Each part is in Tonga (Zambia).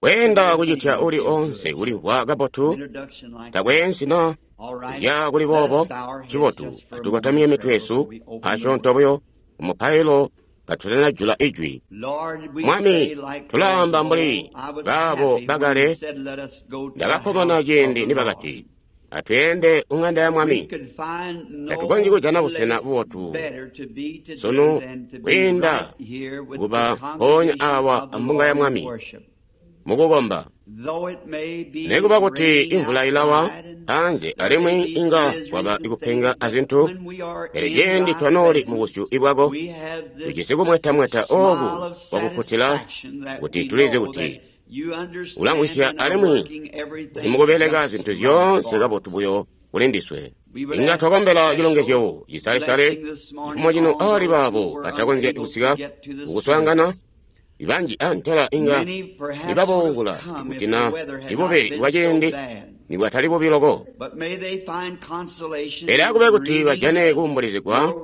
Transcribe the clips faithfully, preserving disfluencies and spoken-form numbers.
Kweenda kucitya uli onse kulimvwa kabotu takweensi na zya kuli boobo cibotu. Atukotamye mitwe yesu asyoonto buyo umupailo katutanajula ijwi. Mwami, tulaamba mbuli baabo bakale, ndakakkomana ciindi nibakati, atweende kuŋanda ya Mwami. Tatukonzyi kujana busena bubotu sunu kwiinda kuba mpoonya awa ambunga ya Mwami mukukomba. Nikuba kuti imvula ilawa anze alimwi inga kwaba ikupenga azintu, pele ciindi twanooli mubusyu bwako, tujisi kumwetamweta ooku kwakukkutila kuti tulizi kuti ulamvwisya alimwi uli mukubeleka zintu zyoonse kabotu buyo kuli ndiswe. Inga twakombela cilongezyo cisalesale cifumo cino ali baabo batakonzya kusika kukuswaangana. Banji antela inga nibaboongula kuti na ibube bwaciindi nibwatali bubi loko. Pele akube kuti bajane kuumbulizigwa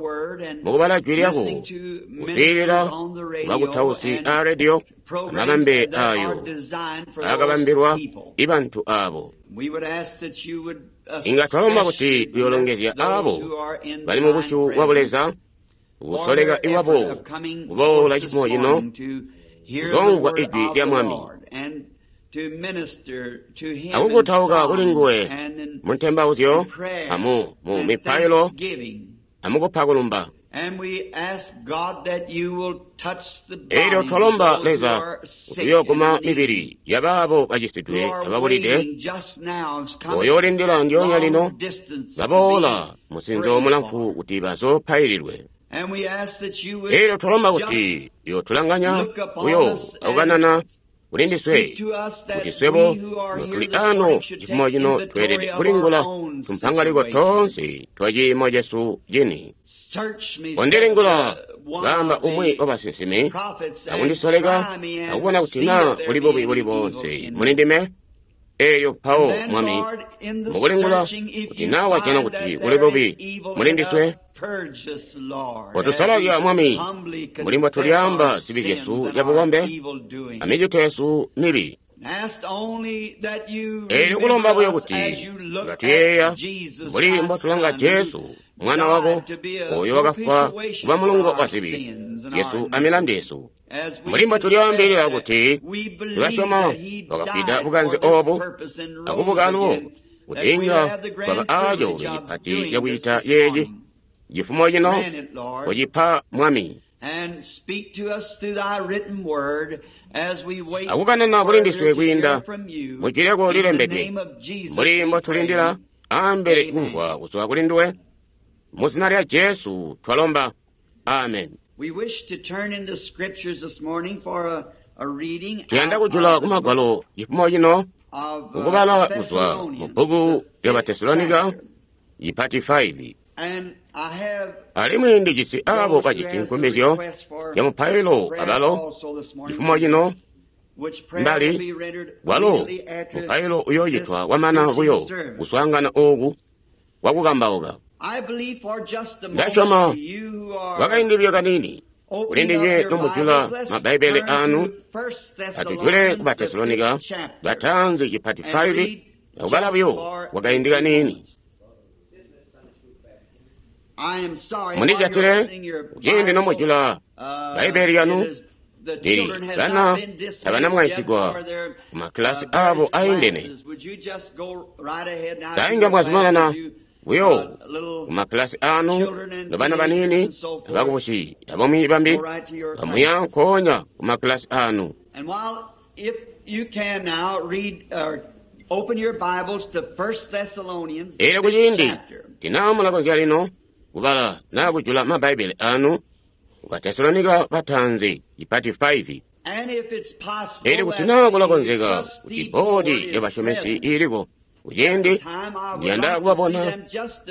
mukubala jwi lyako, kuswiilila kubakutausi a rediyo amabambe ayo aakabambilwa ibantu aabo. Inga twalomba kuti uyoolongezya aabo bali mubusyu bwa Buleza, kusoleka iwabo kuboola cifumo cino kuzomvwa ijwi lya Mwami akukutauka kuli nguwe mu ntembauzyo amu mu mipailo amukupa kulumba. Elyo twalomba Leza kuti uyooguma mibili yabaabo bacisidwe ababulide, oyoolindila ndyoonya lino baboola musinzo mulamfu kuti bazoopaililwe. Elyo twalomba kuti uyootulanganya buyo akukanana kuli ndiswe, kuti swebo notuli ano cifumo cino tweelede kulingula tumpangaliko toonse twa ciimo cesu cini. Kondilingula, kaamba umwi wa basinsimi, akundisoleka akubona kuti naa kuli bubi buli boonse muli ndime. Elyo mpawo Mwami, mukulingula kuti naa wajana kuti kuli bubi muli ndiswe, kotusalazya Mwami, mbuli mbotulyaamba zibi zyesu zyabubombe amicito yesu mibi. Elyo kulomba buyo kuti ngatuyeeya mbuli mbotulanga Jesu mwana wako oyo wakafwa kuba mulungo wa zibi zyesu amilandu yesu, mbuli mbotulyaambilila kuti tulasyoma wakafwida bukanze oobu akubuka alubo, kuti inga twaba aacoolwe cipati cakucita yeeci cifumo cino kucipa Mwami. Akukanana kuli ndiswe kwiinda mu jwi lyako lilembedwe, mbuli mbotulindila ambele kumvwa kuzwa kuli nduwe. Mu zina lya Jesu twalomba, amen. Tuyanda kujula ku magwalo cifumo cino kukubala kuzwa mu bbuku lya Batesalonika ipati five. Alimwi ndijisi aabo bajisi nkumbizyo ya mupailo abalo cifumo cino mbali walo mupailo uyoocitwa kwamana buyo kuswaangana ooku kwakukambauka. Ndasyoma kwakaindi buyo kaniini kuli ndinywe nomujula mabbaibele aanu, atujule ku Batesalonika bataanzi cipati five akubala buyo kwakaindi kaniini. Mundijatile kuciindi nomujula Bbaibele lyanu, lili bana tabanamwaisigwa kumakilasi aabo aindene. Tainga mwazumanana buyo kumakilasi aanu nobana baniini abakubusi abamwi bambi bamuya nkoonya kumakilasi aanu. Elyo kuciindi tina mulakonzya lino kubala naa kujula mabbaibele aanu ku Batesalonika bataanzi ipati five. Elyo kuti naa kulakonzeka kuti bboodi yabasyomesi iiliko kuciindi ndiyanda kubabona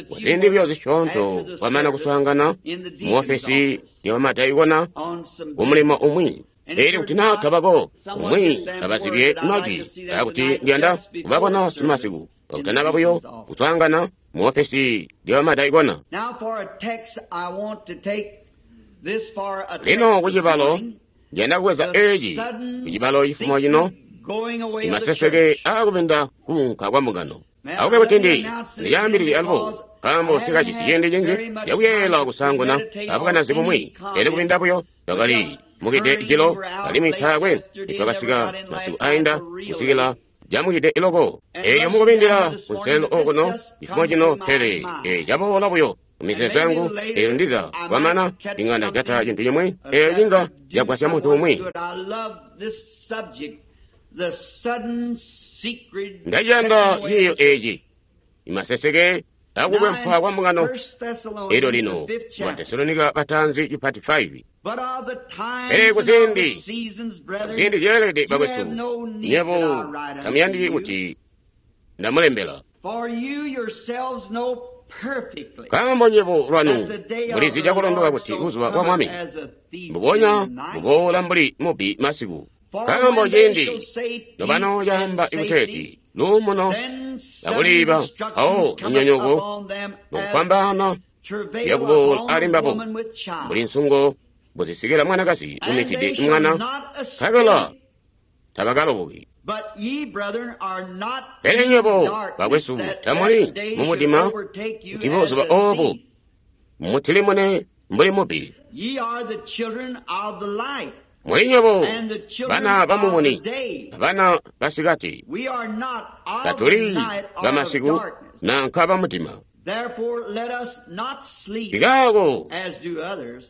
kuziindi buyo zisyoonto kwamana kuswaangana muofesi yabamadaikona kumulimo umwi. Elyo kuti naa tabako umwi abazibye majwi aakuti ndiyanda kubabona simasiku kakutanaba buyo kuswaangana muofesi yabamadaikona. Lino kucibalo ndiyanda kubweza eeci kucibalo cifumo cino, Imaseseke aakubinda kuunka kwa mbungano. Akube kuti ndi ndicaambilile alubo, nkaambo sikajisi ciindi cinji cakuyeeyela kusaanguna abukanazi bumwi, pele kubinda buyo twakali mukide jilo, alimwi taakwe nitwakasika masiku ainda kusikila camukide iloko. Eelyo mukubindila kunselelo okuno cifumo cino, pele caboola buyo kumizeezo yangu, eelyo ndiza kwamana inga ndajata cintu cimwi eeyo cinga cagwasya muntu umwi. Ndaciyanda ciiyo eeci, imaseseke akukwempwa kwa mbungano. Elyo lino mu Batesalonika batanzi chipati five. Pele kuziindi kuziindi zyeelede bakwesu, nyebo tamuyandiki kuti ndamulembela, nkaambo nyebo lwanu mulizi cakulondoka kuti buzuba bwa Mwami mbubonya buboola mbuli mubbi masiku. Nkaambo ciindi nobano caamba ikuteeti luumuno akuliiba, awo lunyonyoko lukupambana yakuboola ali mbabo mbuli nsungo buzisikila mwanakazi umitide mwana, nkabela tabakaloboki. Pele nywebo bakwesu tamuli mumudima kuti buzuba obu mutilimune mbuli mubbi. Muli nywebo bana bamumuni, abana basikati, tatuli bamasiku nanka bamudima. Kikaako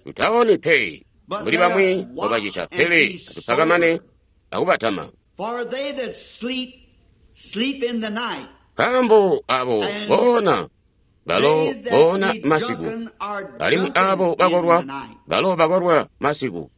tutaoni pe mbuli bamwi mbobacita, pele atupakamane akubatama. Nkaambo abo boona balo boona masiku, alimwi abo bakolwa balo bakolwa masiku.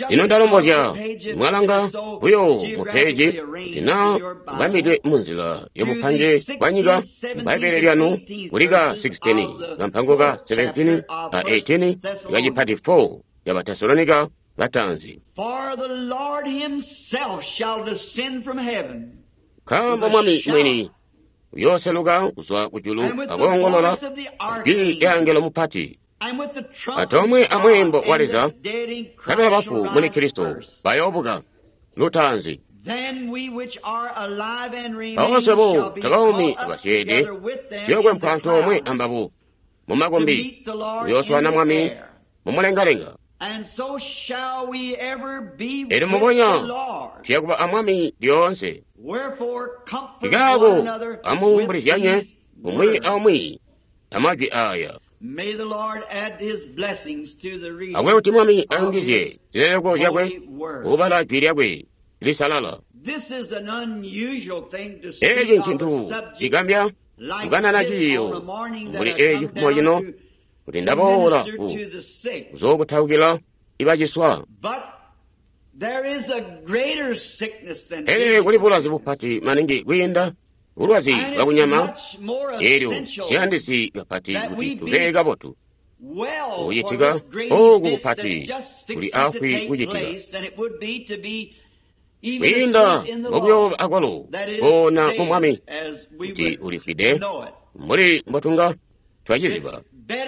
Ino ndalombozya mwalanga buyo mupeji kuti na bamidwe munzila yobupange bwa nyika Bbaibbele lyanu kulika sixteen kampango ka seventeen ka eighteen kachipati four ya Batesalonika batanzi. Nkaambo Mwami mwini uyooseluka kuzwa kujulu akoongolola jwi lya angelo mupati, atomwe amweembo wa Leza, nkabela bafu muli Kristo bayoobuka lutaanzi. Mpawo bo takaumi abasyeede tuyokwempwa antoomwe ambabo mumakombi, kuyooswaana Mwami mumulengalenga. Elyo mubonya tuyakuba a Mwami lyoonse. Kikaako amuumbulizyanye umwi aumwi amajwi aya. Akube kuti Mwami ayungizye zileleko zyakwe kubala jwi lyakwe lisalala. Eeci ncintu cigambya kukanana ciiyo mbuli eeci cifumo cino, kuti ndaboola ku kuzookutaukila ibaciswa. Pele kuli bulwazi bupati maningi kwiinda bulwazi bwakunyama, eelyo ciyandisi kapati kuti tube kabotu. Kucitika ooku kupati kuli afwi kucitika kwiinda mukuyooba akwalo koona mu Mwami kuti ulifwide mbuli mbotunga twaciziba.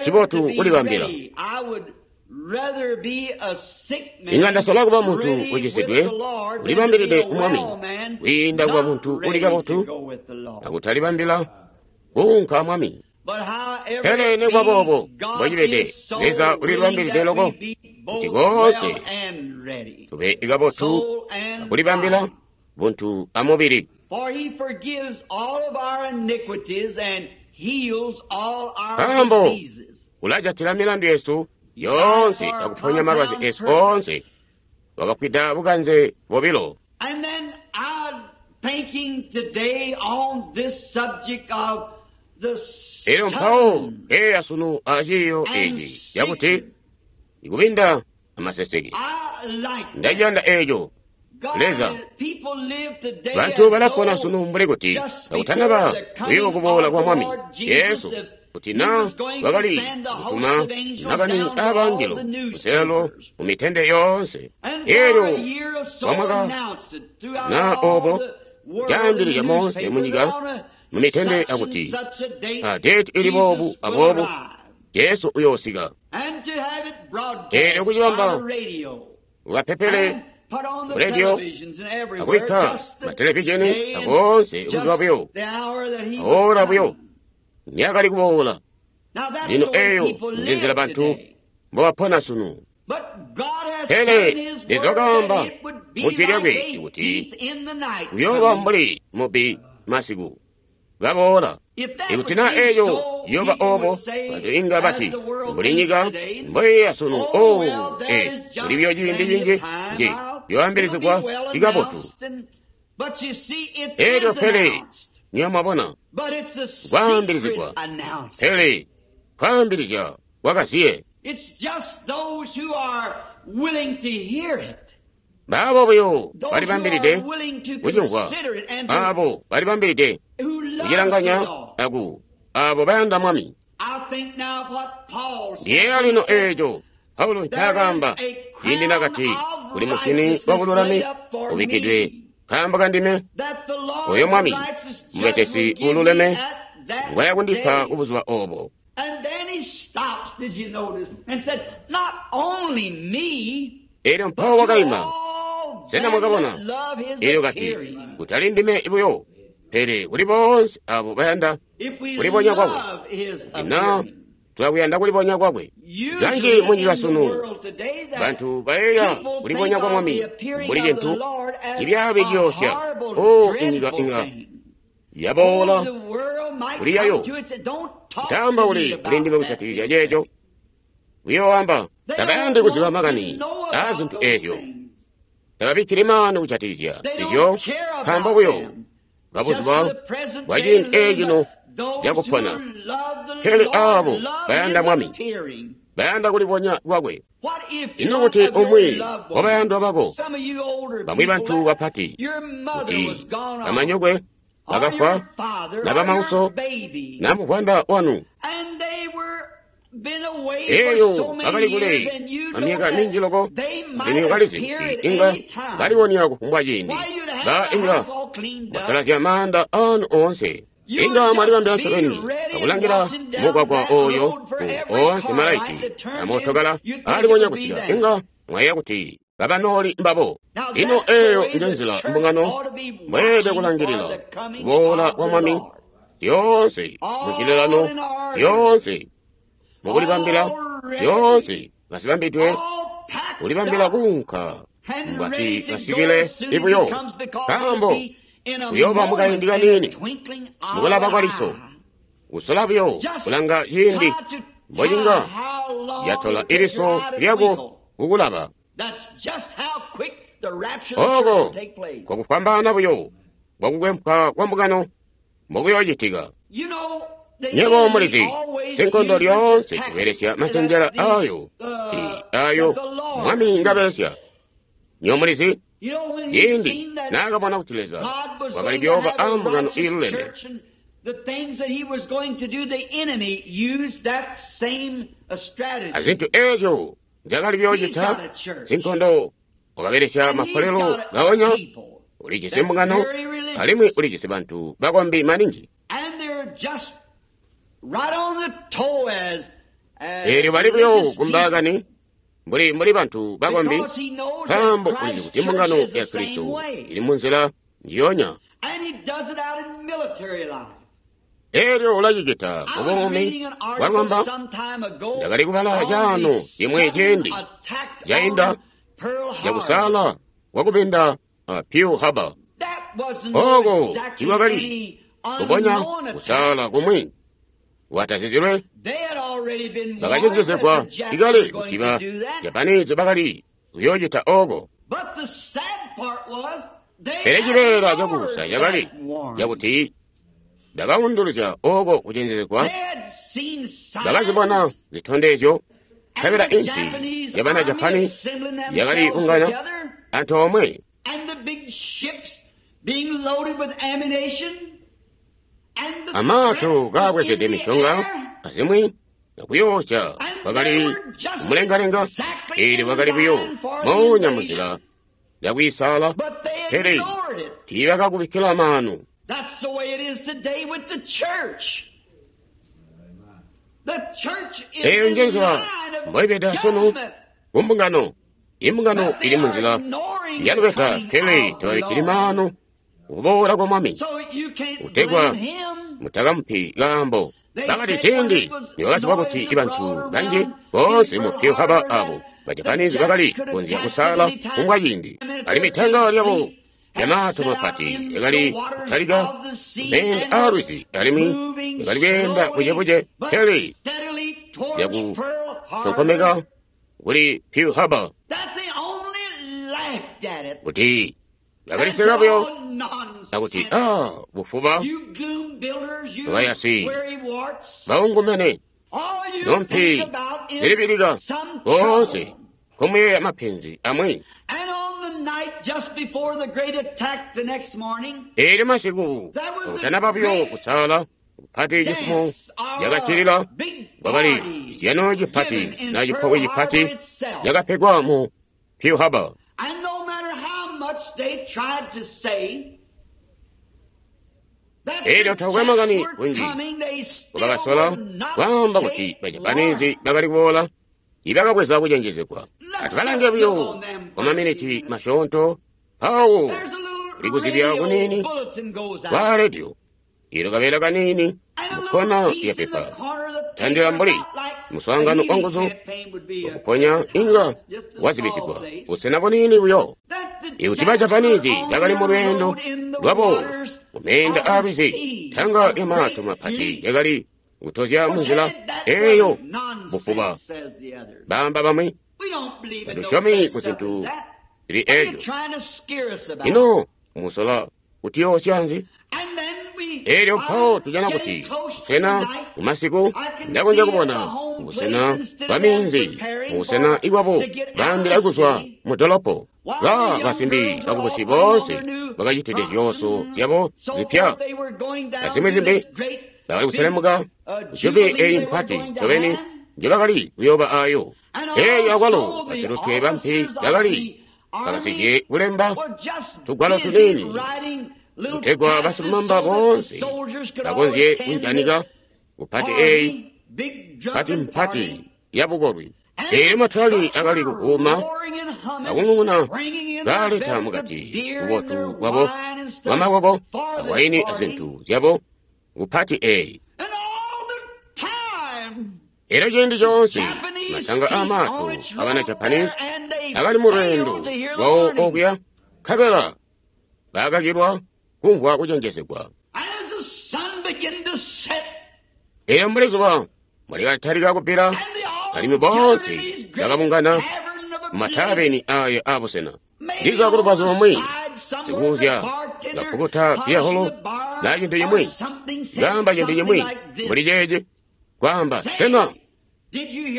Cibotu kulibambila. Inga ndasala kuba muntu ucisidwe ulibambilide ku Mwami kwiinda kuba muntu uli kabotu akutalibambila kuunka Mwami. Pele nikuba boobo mbocibede, Leza ulilibambilide loko kuti koonse tube kabotu akulibambila buntu amubili. Nkaambo ulajatila milandu yesu yoonse akuponya malwazi esu oonse, wakafwida bukanze bobilo. Elyo mpawo eya sunu aciiyo eeci cakuti ikubinda amaseseke. Ndaciyanda eeco. Leza, bantu balapona sunu mbuli kuti kakutanaba buyo kuboola kwa Mwami Jesu, kuti na bakali kutuma makani aabangelo kuselelo mu mitende yoonse. Elyo kwamwaka na obo caambilizya moonse munyika mu mitende akuti a date ili boobu aboobu Jesu uyoosika. Elyo kucibamba ukapepele Ku rediyo, akubikka matelevizheni akoonse buzuba buyo, oora buyo niyakali kuboola. Lino eeyo njenzila bantu mbobapona sunu. Pele Leza wakaamba mu Jwi lyakwe kuti kuyooba mbuli mubbi masiku kaboola. Ikuti naa eeyo iyooba oobo, bantu inga bati, mbuli nyika mboiya sunu, oh, ee, kuli buyo ciindi cinji nji yoambilizigwa cikabotu. Elyo pele niyo mwabona kwaambilizigwa, pele kwaambilizya kwakaziye. Baabo buyo balibambilide kucimvwa, aabo balibambilide kucilanganya aku aabo bayanda Mwami. Ndiyeeya lino eeco Paulo ncaakaamba ciindi nakati, kuli musini wabululami ubikkidwe nkaambo kandime, oyo Mwami mubetesi uululeme ngwaya kundipa kubuzuba oobo. Elyo mpawo wakaima. Sena mwakabona? Elyo kati, kutali ndime buyo, pele kuli boonse abo bayanda kulibonya kwakwe. Ina tulakuyanda kulibonya kwakwe. Kanji munyika sunu, bantu bayeeya kulibonya kwa Mwami mbuli cintu cibyaabi ciyoosya. O inyika inga yaboola kuli yayo. Kutaamba uli kuli ndime kujatikizya ceeco. Kuyooamba tabayandi kuziba makani aa zintu eezyo. Tababikkili maanu kujatikizya nzizyo nkaambo buyo kabuzuba bwa ciindi eecino cakupona. Pele aabo bayanda Mwami, bayanda kulibonya kwakwe. Ino kuti umwi wabayandwa bako, bamwi bantu bapati, kuti bamanyokwe bakafwa, na bamauso, na muvwanda wanu, eyo bakali kule amyaka minji loko, alimwi kalizi kuti inga baliwonya kufumbwa ciindi, ba inga mwasalazya maanda anu oonse. Inga mwalibambila ncobeni akulangila mugwagwa oyo ku oonse malaiti amootokala aalibonya kusika, inga mwayeeya kuti kabanooli mbabo. Lino eeyo njenzila mbungano mbweelede kulangilila kuboola kwa Mwami, zyoonse mucilelano, zyoonse mukulibambila, zyoonse kasibambidwe kulibambila kuunka mbwati kasikile ibuyo, nkaambo kuyooba mukaindi kaniini mukulaba kwa liso, kusola buyo kulanga ciindi mbocinga yatola iliso lyako kukulaba. Oko kwakufwambaana buyo bwakukwempwa kwa mbungano mbokuyoocitika. Nywebo mulizi, sinkondo lyoonse kubelesya macenjela ayo, ayo Mwami ngabelesya. Nywebo mulizi, ciindi naakabona kuti Leza wakali kuyooba a mbungano iiluleme, azintu eezyo nzyakali kuyoocita, sinkondo wakabelesya mapolelo gaonya. Ulijisi mbungano alimwi ulijisi bantu bakombi maningi. Eelyo bali buyo kumbaakani mbuli mbuli bantu bakombi, nkaambo ulizi kuti mbungano ya Kristo ili munzila njiyonya. Eelyo ulacicita mubuumi bwalwamba. Ndakali kubala caano cimwi ciindi cainda cakusaala kwakubinda a Pearl Harbor. Oko tiikwakali kubonya kusaala kumwi watazizilwe. Bakacenjezegwa ikale kuti ba Japanese bakali kuyoocita oko. Pele cibeela cakuusa cakali cakuti ndakaunduluzya oko kucenjezegwa. Bakazibona zitondezyo, nkabela impi yabana Japani yakali bungana antoomwe, amaato kaabwezede mishonga azimwi akuyoosya kwakali kumulengalenga. Eelyo bakali buyo moonya munzila yakwiisaala, pele tiibakakubikkila maanu. Eeyo njenzila mboibeda sunu kumbungano. Imbungano ili munzila yalubeta, pele tababikkili maanu kuboola kwa Mwami. Kutegwa mutakamupi kaambo. Bakati ciindi nibakaziba kuti bantu banji boonse mu Pearl Harbor abo Bajapanese bakali kukonzya kusala kumbwa ciindi. Alimwi tanga lyabo lyamato mapati lyakali kutalika meenda aalwizi alimwi lyakali kweenda bucebuce, pele lyakutonkomeka kuli Pearl Harbor kuti bakaliseka buyo akuti ah bufuba bayasi baungumene nompi zilibilika boonse komuyeeya mapenzi amwi. Eelyo masiku akutanaba buyo kusala kupati cifumo lyakacilila kwakali cizyano cipati na cipobwe cipati lyakapegwa mu Pearl Harbor. Eelyo takwe makani kunji kubakasola kwaamba kuti Bajapanese bakali kuboola, ibakabweza kucenjezegwa. Atubalange buyo kwa maminiti masyoonto mpawo kulikuzibya kuniini kwa rediyo ilo kabeela kaniini mukkona ya pepa tandila mbuli muswaangano wa nguzu wakuponya inga wazibisigwa busena buniini buyo. Ikuti Bajapanese bakali mu lweendo lwabo kumeenda aalwizi, tanga lyamato mapati lyakali kutozya munzila eeyo bufuba. Baamba bamwi tatusyomi ku zintu zili eejo. Ino musola kutiyoosya nzi? Eelyo mpawo tujana kuti busena mumasiku ndakonzya kubona busena bwa minzi mubusena ikwabo baambila kuzwa mu dolopo. Ba basimbi bakubusi boonse bakacitide zyooso zyabo zipya azimwi zimbi bakali kuselemuka kujubi eyi mpati ncobeni njebakali kuyooba ayo. Eelyo akwalo basilutwe bampi bakali bakasizye kulemba tugwalo tuniini kutegwa basilumamba boonse bakonzye kujanika kupati eyi pati mpati yabukolwi. Eelyo matwali akali kukuuma akung'ung'una kaleta mukati bubotu bwabo bwamakwabo awaini azintu zyabo kupati eyi. Eelyo ciindi coonse matanga aamato abana Japanese akali mu lweendo lwawo okuya, nkabela bakakilwa kumvwa kucenjezegwa. Eelyo mbuli zuba mulikatalika kubbila, alimwi boonse bakabungana mumataveni aya abusena. Ndiza kulubazu lumwi sikuuzya ngapukuta biyaholo na cintu cimwi, ngamba cintu cimwi mbuli ceeci, kwaamba sena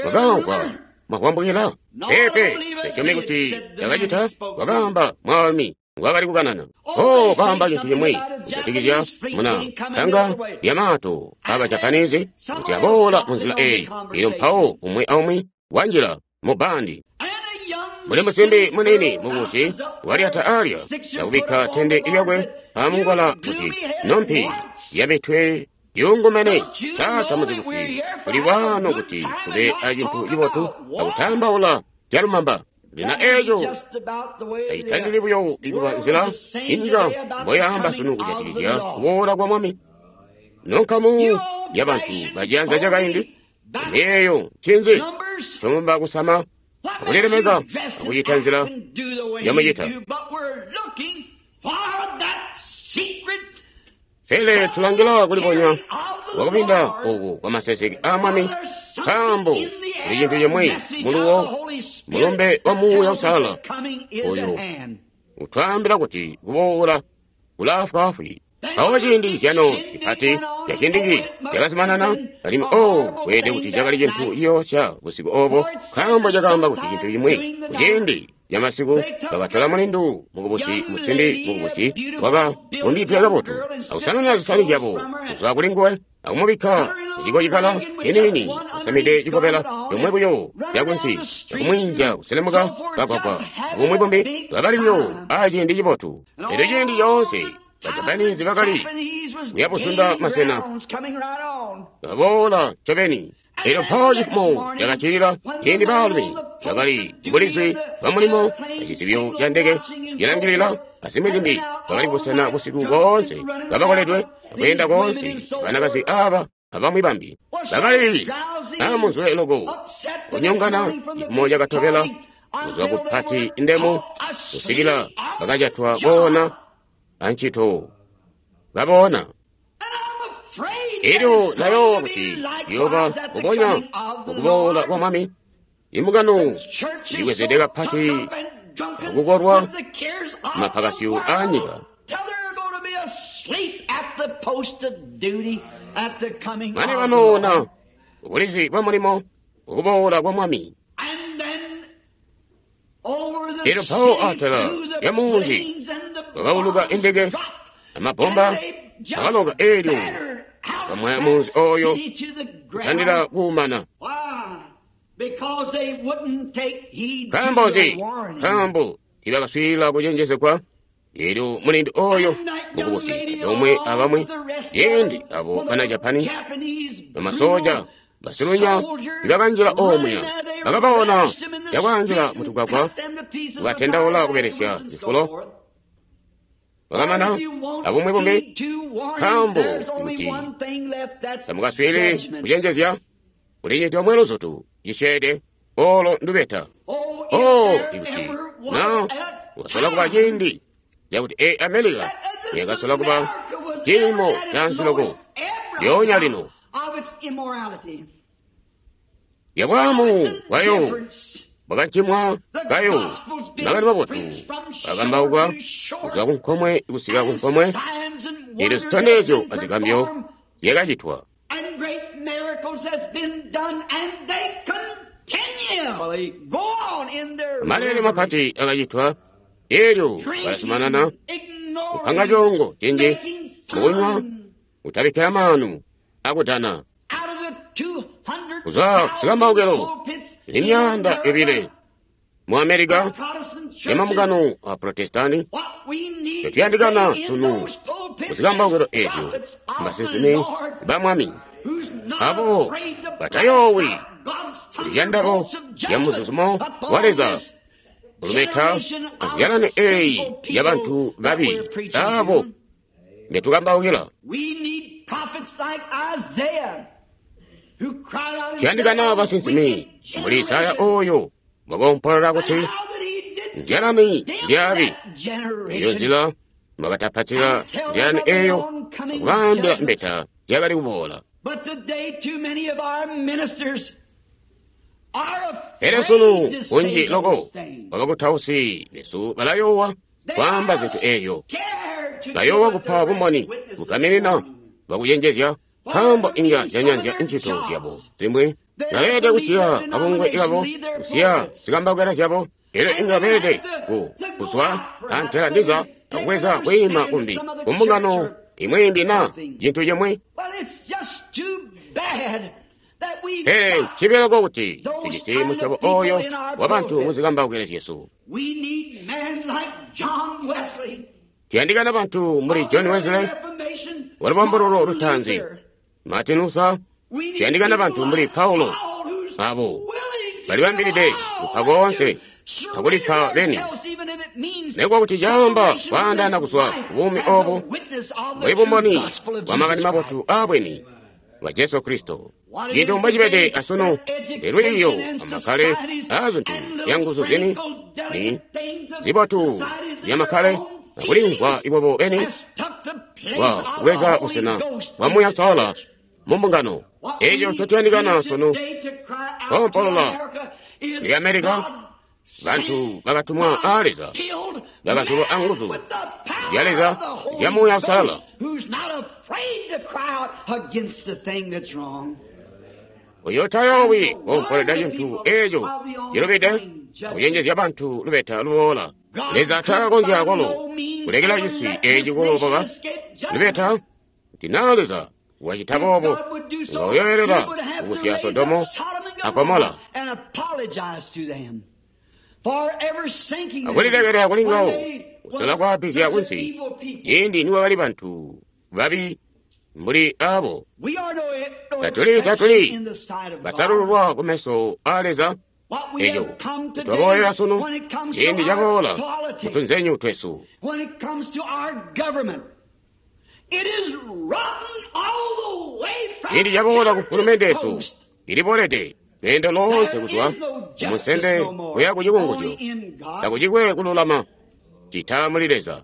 mwakamvwa mwakwambukila? Peepe, tasyomi kuti yakacita, wakamba mwaalumi ngwakali kukanana. Oh, baamba cintu cimwi kujatikizya muna tanga lyamato aba Japanese kuti aboola munzila eyi. Elyo mpawo umwi aumwi wanjila mu bandi. Muli musimbi munini mukubusi walyata alya akubikka tende lyakwe amungwala kuti nompi yamitwe yungumene. Satamuzi kuti kuli wano kuti kube acintu cibotu akutambaula zyalumamba. Lina eeco tayitandili buyo ikuba nzila inyika mboyaamba sunu kujatikizya kuboola kwa Mwami. Nonkamu yabantu baciyanza cakaindi miyeeyo ncinzi comumba kusama akulilemeka akucita nzila yamucita. Pele tulangila kulibonya wakupinda oku kwa maseseke a Mwami, nkaambo kuli cintu cimwi muluwo mulumbe wa Muuya Uusalala oyo utwaambila kuti kuboola kulaafwaafwi. Mpawo ciindi zyano cipati cacindiki cakazimanana, alimwi oh, kweelede kuti cakali cintu ciyoosya busiku obo, nkaambo cakaamba kuti cintu cimwi kuciindi camasiku bakatola mulindu mukubusi musimbi mukubusi wakabumbidwe kabotu akusanana zisani zyabo kuzwa kuli nguwe akumubikka mucikocikala ciniini asamide cikobela comwe buyo cakunsi akumwiinzya kuselemuka kagwagwa abumwi bumbi bakali buyo aciindi cibotu. Elyo ciindi coonse Bajapanizi bakali kuyabuzunda masena kaboola ncobeni. Elyo mpawo cifumo cakacilila ciindi baalumi bakali bulizi bwa mulimo acizibyo ca ndeke cilangilila azimwi zimbi bakali busena busiku boonse kabakoledwe akweenda koonse banakazi aba abamwi bambi bakali amunzwe loko kunyongana cifumo cakatobela kuzwa ku pati ndemu kusikila bakajatwa koona ancito baboona. Elyo nayoowa kuti lyoba kubonya ukuboola kwa Mwami. Imbungano iliwezede kapati akukolwa mapakasyo aanyika. Mane banoona ubulizi bwa mulimo ukuboola kwa Mwami. Elyo mpawo atala lya munzi kwakauluka indeke amabomba akaloka elyo kamwaya munzi oyo kutandila kuumana. Nkaambo nzi? Nkaambo tiibakaswiilila kucenjezegwa. Elyo mulindi oyo mukubusi antoomwe abamwi yendi abo bana Japani bamasoja basilunya nibakanjila omuya bakabona cakwaanjila mutugwagwa kukatendaula kubelesya zifulo bakamana abumwi bumbi. Nkaambo kuti tamukaswiilili kucenjezya kuli cintu omwe luzutu cisyeede olo ndubeta. Oh, ikuti na wasola kuba ciindi cakuti e America yakasola kuba ciimo cansi loko lyoonya lino yabwamu bwayo bwakacimwa kayo makani mabotu akambauka kuzwa kunkomwe kusika kunkomwe. Elyo zitondezyo azigambyo zyakacitwa. Malele mapati akacitwa. Elyo balazumanana kupanga congo cinji mukunywa kutabikkila maanu akudana. Kuzwa kusikambaukelo ili myaanda yobile mu Amerika yamambungano a Protestani tetuyandikana sunu kuzikambaukelo ezyo mbasinsimi ba Mwami abo batayoowi kuliyandabo lya muzuzumo wa Leza ulubeta azyalani eyi yabantu babi abo mbetukambaukila. Tuyandikana basinsimi mbuli Isaya oyo wakompolola kuti nzyalani ndyabi. Eyo nzila mwakatapatila nzyalani eyo akubaambila mbeta zyakali kuboola. Pele sunu kunji loko kwabakutausi besu balayoowa kwaamba zintu eyo, bayoowa kupa bumboni bugaminina bwakucenjezya nkaambo inga zyanyanzya ncito zyabo zimwi. Baleelede kusiya kabungwe kabo, kusiya zikambaukila zyabo. Elyo inga beelede ku kuzwa antela ndiza akubweza kwiima kumbi kumbungano imwi na cintu cimwi. Pele ncibyeloko kuti tujisi musyobo oyo wabantu muzikambaukila zyesu. Tuyandikana bantu mbuli John Wesley walubambululo lutaanzi, Martin Luther. Tuyandikana bantu mbuli Paulo abo balibambilide kupa koonse akulipa beni nekuba kuti caamba kwaandaana kuzwa kubuumi obu mbuli bumboni bwa makani mabotu aabweni bwa Jesu Kristo. Cintu mbocibede asunu lwiiyo amakkale aazintu zyanguzu zini ni zibotu zyamakkale akulimvwa ibobo beni bwa kubweza busena bwa Muuya Uusalala mu mbungano. Eco ncotuyandikana sunu koompolola ili Amerika bantu bakatumwa aa Leza bakazulwa anguzu zya Leza zya Muuya Uusalala. Uyo tayoowi koompolweda cintu eco cilubide akucenjezya bantu lubeta luboola. Leza takakonzya kwalo kulekela cisi eci kuloboka lubeta kuti naa Leza wacita boobo nga uyoyelela kukusya Sodomo a Gomola Akulilekelela kuli ngawo kusola kwaapizya kunsi ciindi nikwakali bantu babi mbuli abo. Tatuli tatuli basalululwa kumeso a Leza. Eco twaboolela sunu ciindi caboola mutunzenyu twesu. Ciindi caboola ku mfulumende yesu ilibolede lweendo loonse kuzwa kumunsende kuya ku cikunguzyo. Takucikwe kululama cita muli Leza.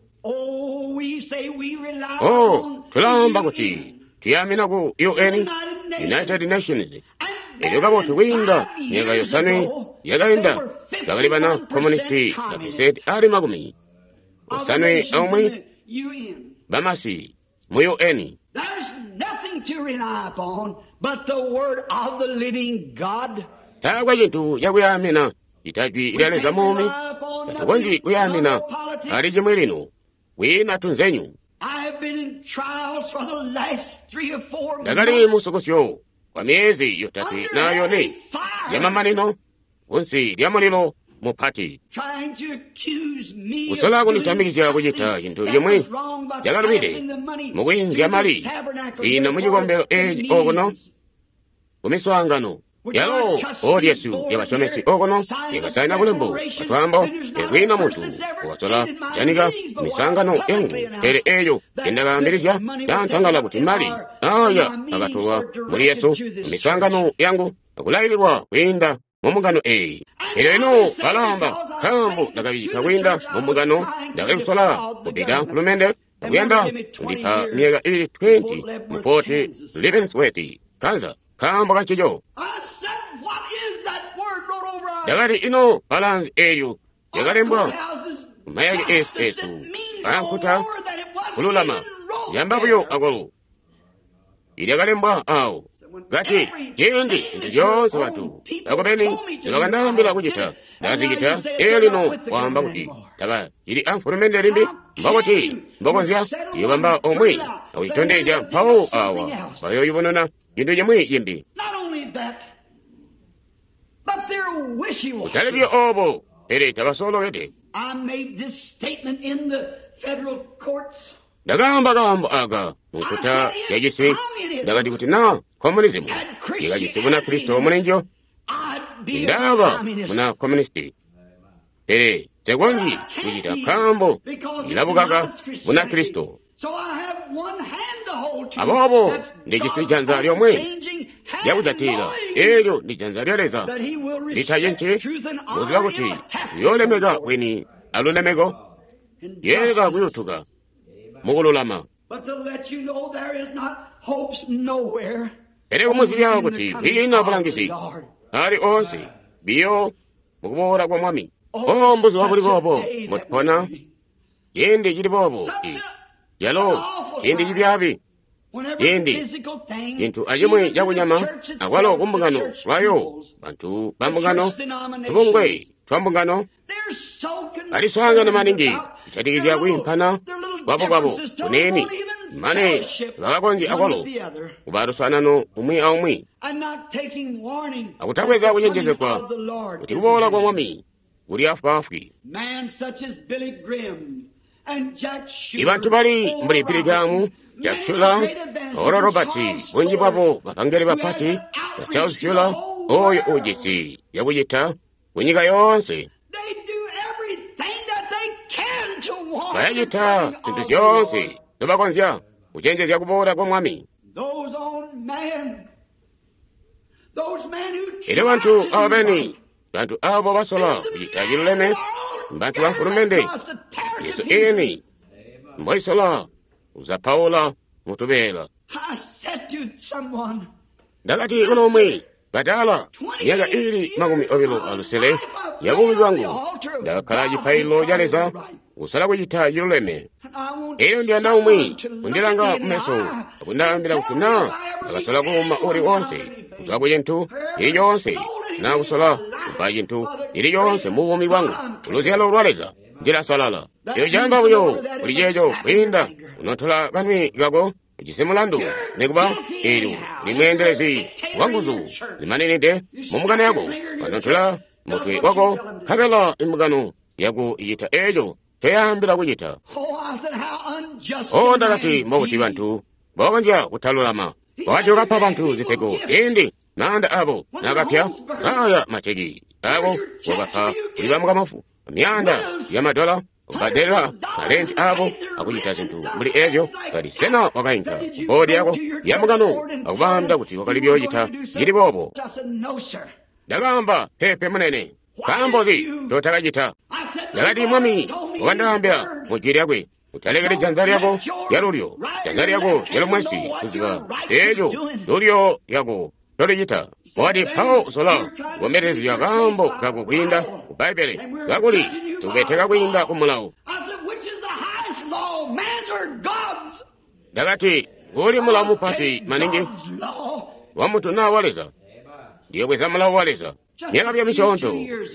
Oh, tulaamba kuti tuyamina ku U N, United Nations. Elyo kabotu kwiinda myaka yosanwe yakainda bakali bana komunisti mapesenti ali makumi osanwe aumwi bamasi mu U N. Taakwe cintu cakuyamina cita jwi lya Leza muumi. Tatukonzyi kuyamina ali cimwi lino kwiina tunzenyu. Ndakali musukusyo kwa myezi yotatwe na yone yamamanino kunsi lya mulilo mupati, kusola kunditamikizya kucita cintu cimwi cakalubide mukwiinzya mali ino mucikombelo eci okuno kumiswaangano yalo odi yesu yabasyomesi okuno yakasaina bulembo batwambo ekwiina muntu wakasola kujanika miswaangano yangu, pele eyo yendakaambilizya yantangala kuti mali aya akatolwa muli Yesu miswaangano yangu akulaililwa kwiinda mumbungano eyi. Elyo ino balamba nkaambo ndakabika kwiinda mumbungano, ndakali kusola kubika mfulumende akuyanda kundipa myaka ili twenty mu Fort Leavenworth, Kansas, nkaambo kancico. Ndakati ino balanzi elyo lyakalembwa kumayake esu esu ankuta kululama yamba buyo akwalo ilyakalembwa awo kati ciindi zintu zyoonse bantu bakobeni zibakandaambila kucita ndazicita. Elyo lino waamba kuti tabacili amfulumende limbi, mbokuti mbokonzya yobamba omwe akucitondezya mpawo awa bayoyubununa cintu cimwi cimbi. Kutali buyo obo, pele tabasolokede. Ndakaamba kaambo aka munkuta yacisi. Ndakati kuti na komunizimu yakajisi buna Kristo mulinjo, ndaba muna komunisti, pele nsekonzyi kucita nkaambo ndilabukaka buna Kristo. Aboobo ndijisi janza lyomwe lyakujatila, elyo ndi janza lya Leza litacinci, muziba kuti liyoolemeka bwini alulemeko, yeeka kuyutuka mukululama. Pele kumuzibya kuti kwiina bulangizi ali oonse biyo mukuboola kwa Mwami. O mbuzuba buli boobo mbotupona, ciindi cili boobo yalo ciindi cibyaabi, ciindi cintu acimwi cakunyama akwalo kumbungano lwayo bantu ba mbungano tubungwe twa mbungano baliswaangana maningi kujatikizya kwiimpana kwabo kwabo kuneeni mane bakakonzya akwalo kuba luswaanano umwi aumwi akutabweza kucenjezegwa kuti kuboola kwa Mwami kuli afwaafwi. Ibantu bali mbuli Billy Graham, Jack Schuler, Oral Roberts, bunji bwabo bapangeli bapati ba Charles Fuller, oyo ujisi yakucita kunyika yoonse. Bayacita zintu zyoonse zobakonzya kucenjezya kuboola kwa Mwami. Elyo bantu abo beni, bantu abo basola kucita ciluleme, bantu ba mfulumende Yesu eni mboisola uzapaula mutubeela. Ndakati kuno umwi batala myaka ili makumi obilo alusele ya buumi bwangu ndakakkala cipaililo ca Leza kusala kucita ciluleme. Elyo ndiyanda umwi kundilanga kumeso akundaambila kuti na ndakasola kuuma uli wonse kuzwa ku cintu cili coonse na kusola kupa cintu cili coonse mu buumi bwangu kuluzyalo lwa Leza ndilasalala. Eyo camba buyo kuli ceeco kwiinda kunotola kanwi kako ujisi mulandu nikuba eelyo uli mweendelezi wa nguzu zimaninide mu mbungano yako kanotola mutwe wako, nkabela imbungano yaku icita eco ncoyaambila kucita. O, ndakati, mbobuti bantu bokonzya kutalulama? Wakati wakapa bantu zipego ciindi maanda abo nakapya, ngaya maceki abo wakapa kuli bamukamufu myaanda ya madola kubbadelela malenti abo akucita zintu mbuli ezyo. Kati, sena wakainka boodi yako ya mbungano akubaambila kuti wakali kuyoocita cili boobo? Ndakaamba, peepe munene. Nkaambo nzi ncotakacita? Ndakati, Mwami wakandaambila mu jwi lyakwe, utalekeli janza lyako lyalulyo, janza lyako lyalumwensi kuziba eeco lulyo lyako ncolicita. Wakati, mpawo usola kukombelezya kaambo kako kwiinda ku Bbaibbele, kakuli tukubeteka kwiinda ku mulawo. Ndakati, nguli mulawo mupati maningi, wa muntu naa wa Leza? Ndiyobweza mulawo wa Leza. Myaka buyo misyoonto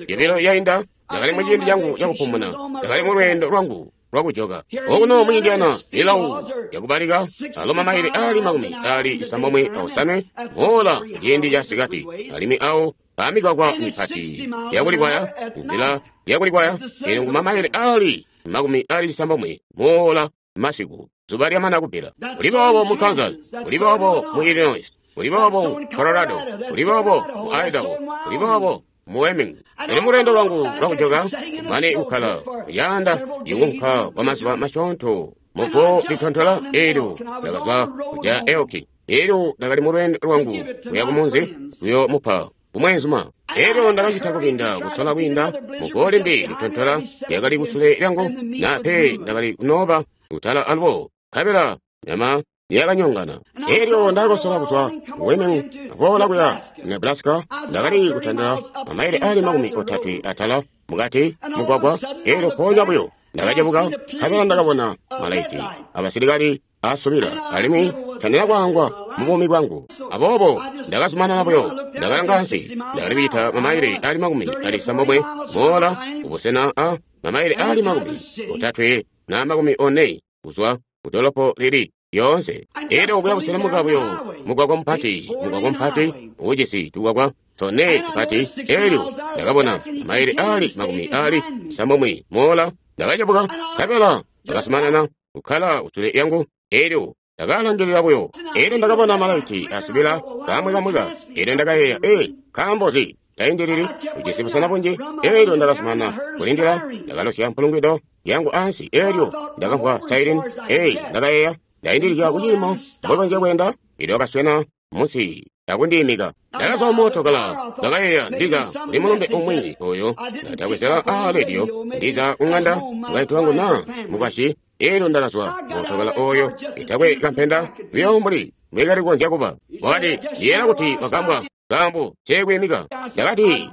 yobilo yainda, ndakali muciindi cangu cakupumuna, ndakali mu lweendo lwangu lwakujoka okuno mu Indiana. Milawo yakubalika alo mamaile ali makumi ali cisambomwe aosanwe moola ciindi ca sikati, alimwi awo pamigwagwa mipati yakulikwaya, nzila yakulikwaya ili ku mamaile ali makumi ali cisambomwe moola masiku, zuba lyamana kubbila. Kuli boobo mu Kansas, kuli boobo mu Illinois, kuli boobo mu Colorado, kuli boobo mu Idaho, kuli boobo mu Wyoming. Eli mu lweendo lwangu lwakujoka, mane kukkala kuyanda yukunka kwa mazuba masyoonto mugo litontola, eelyo ndakazwa kuja Elki. Eelyo ndakali mu lweendo lwangu kuya kumunzi kuyo mupa kumweenzuma. Eelyo ndakacita kubinda kusola kwiinda mugo limbi litontola lyakali kusule lyangu, nape ndakali kunooba kutala alubo, nkabela nyama yakanyongana. Eelyo ndakakosola kuzwa ku Wyoming akuboola kuya Nebraska. Ndakali kutandila mamaile ali makumi otatwe atala mukati mugwagwa. Eelyo mpoonya buyo ndakacebuka, nkabela ndakabona malaiti abasilikali asubila, alimwi tandila kwaangwa mubuumi bwangu. Aboobo ndakazumanana buyo, ndakalanga ansi. Ndakali kucita mamaile ali makumi ali cisambomwe moola kubusena a mamaile ali makumi otatwe na makumi one kuzwa kudolopo lili yoonse. Elyo kuya kuselemuka buyo mugwagwa mupati, mugwagwa mupati ujisi tugwagwa tone tupati. Elyo ndakabona mamaile ali makumi ali cisambomwe moola. Ndakacebuka, nkabela ndakazumanana kukkala kusule lyangu. Elyo ndakalangilila buyo. Elyo ndakabona malaiti asubila kamwikamwika. Elyo ndakayeeya, ee, nkaambo nzi taindilili ujisi busena bunji? Elyo ndakazumanana kulindila. Ndakalosya mpulungwido yangu ansi. Elyo ndakamvwa siren. Ee, ndakayeeya, ndaindilizya kuciimo mbokonzya kweenda. Elyo wakaswena munsi akundiimika. Ndakazwa mootokala. Ndakayeeya, ndiza kuli mulumbe umwi oyo ndatabwezela aa rediyo, ndiza kung'anda mukaintu wangu naa mukwasyi. Elyo ndakazwa mootokala oyo itakwe kampenda buyo mbuli mbwekali kukonzya kuba. Wakati, ndiyeera kuti wagambwa nkaambo nceekwiimika. Ndakati,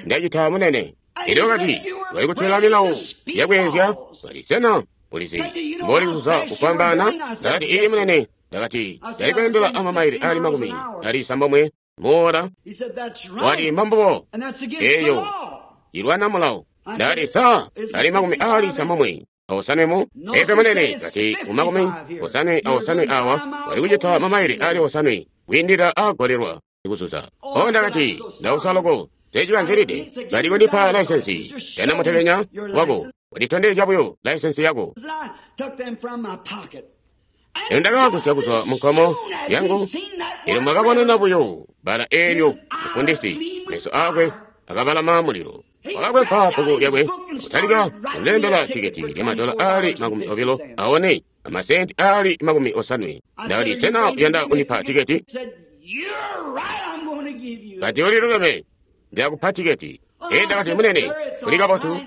ndacita munene. Elyo wakati, wali kutyola milawo yakweenzya. Kati, sena ulizi mboli kuzuza kufwambaana? Ndakati, ii munene. Ndakati, ndali kweendela amamaile ali makumi ali cisambomwe moola. Wati, mbambubo, eyo ilwana mulawo. Ndakati, sa ali makumi ali cisambomwe aosanwe mu epe munene. Kati, mu makumi osanwe aosanwe awa wali kucita mamaile ali osanwe kwiindila aagolelwa kuzuza. O, ndakati, ndausa loko secikanzilide. Kali kundipa laisensi yanamutekenya wako, wanditondezya buyo laisensi yako. Elyo ndakagusya kuzwa mu nkomo yangu. Elyo mwakabonena buyo bbala eelyo, mufundisi meso akwe akabalama mulilo. Wakakwempa bbuku lyakwe akutalika kundilembela tiketi lyamadola ali makumi obilo aone amasenti ali makumi osanwe. Ndakati, sena uyanda kundipa tiketi? Kati, uliluleme, ndilakupa tiketi. Ee, ndakati, munene, uli kabotu,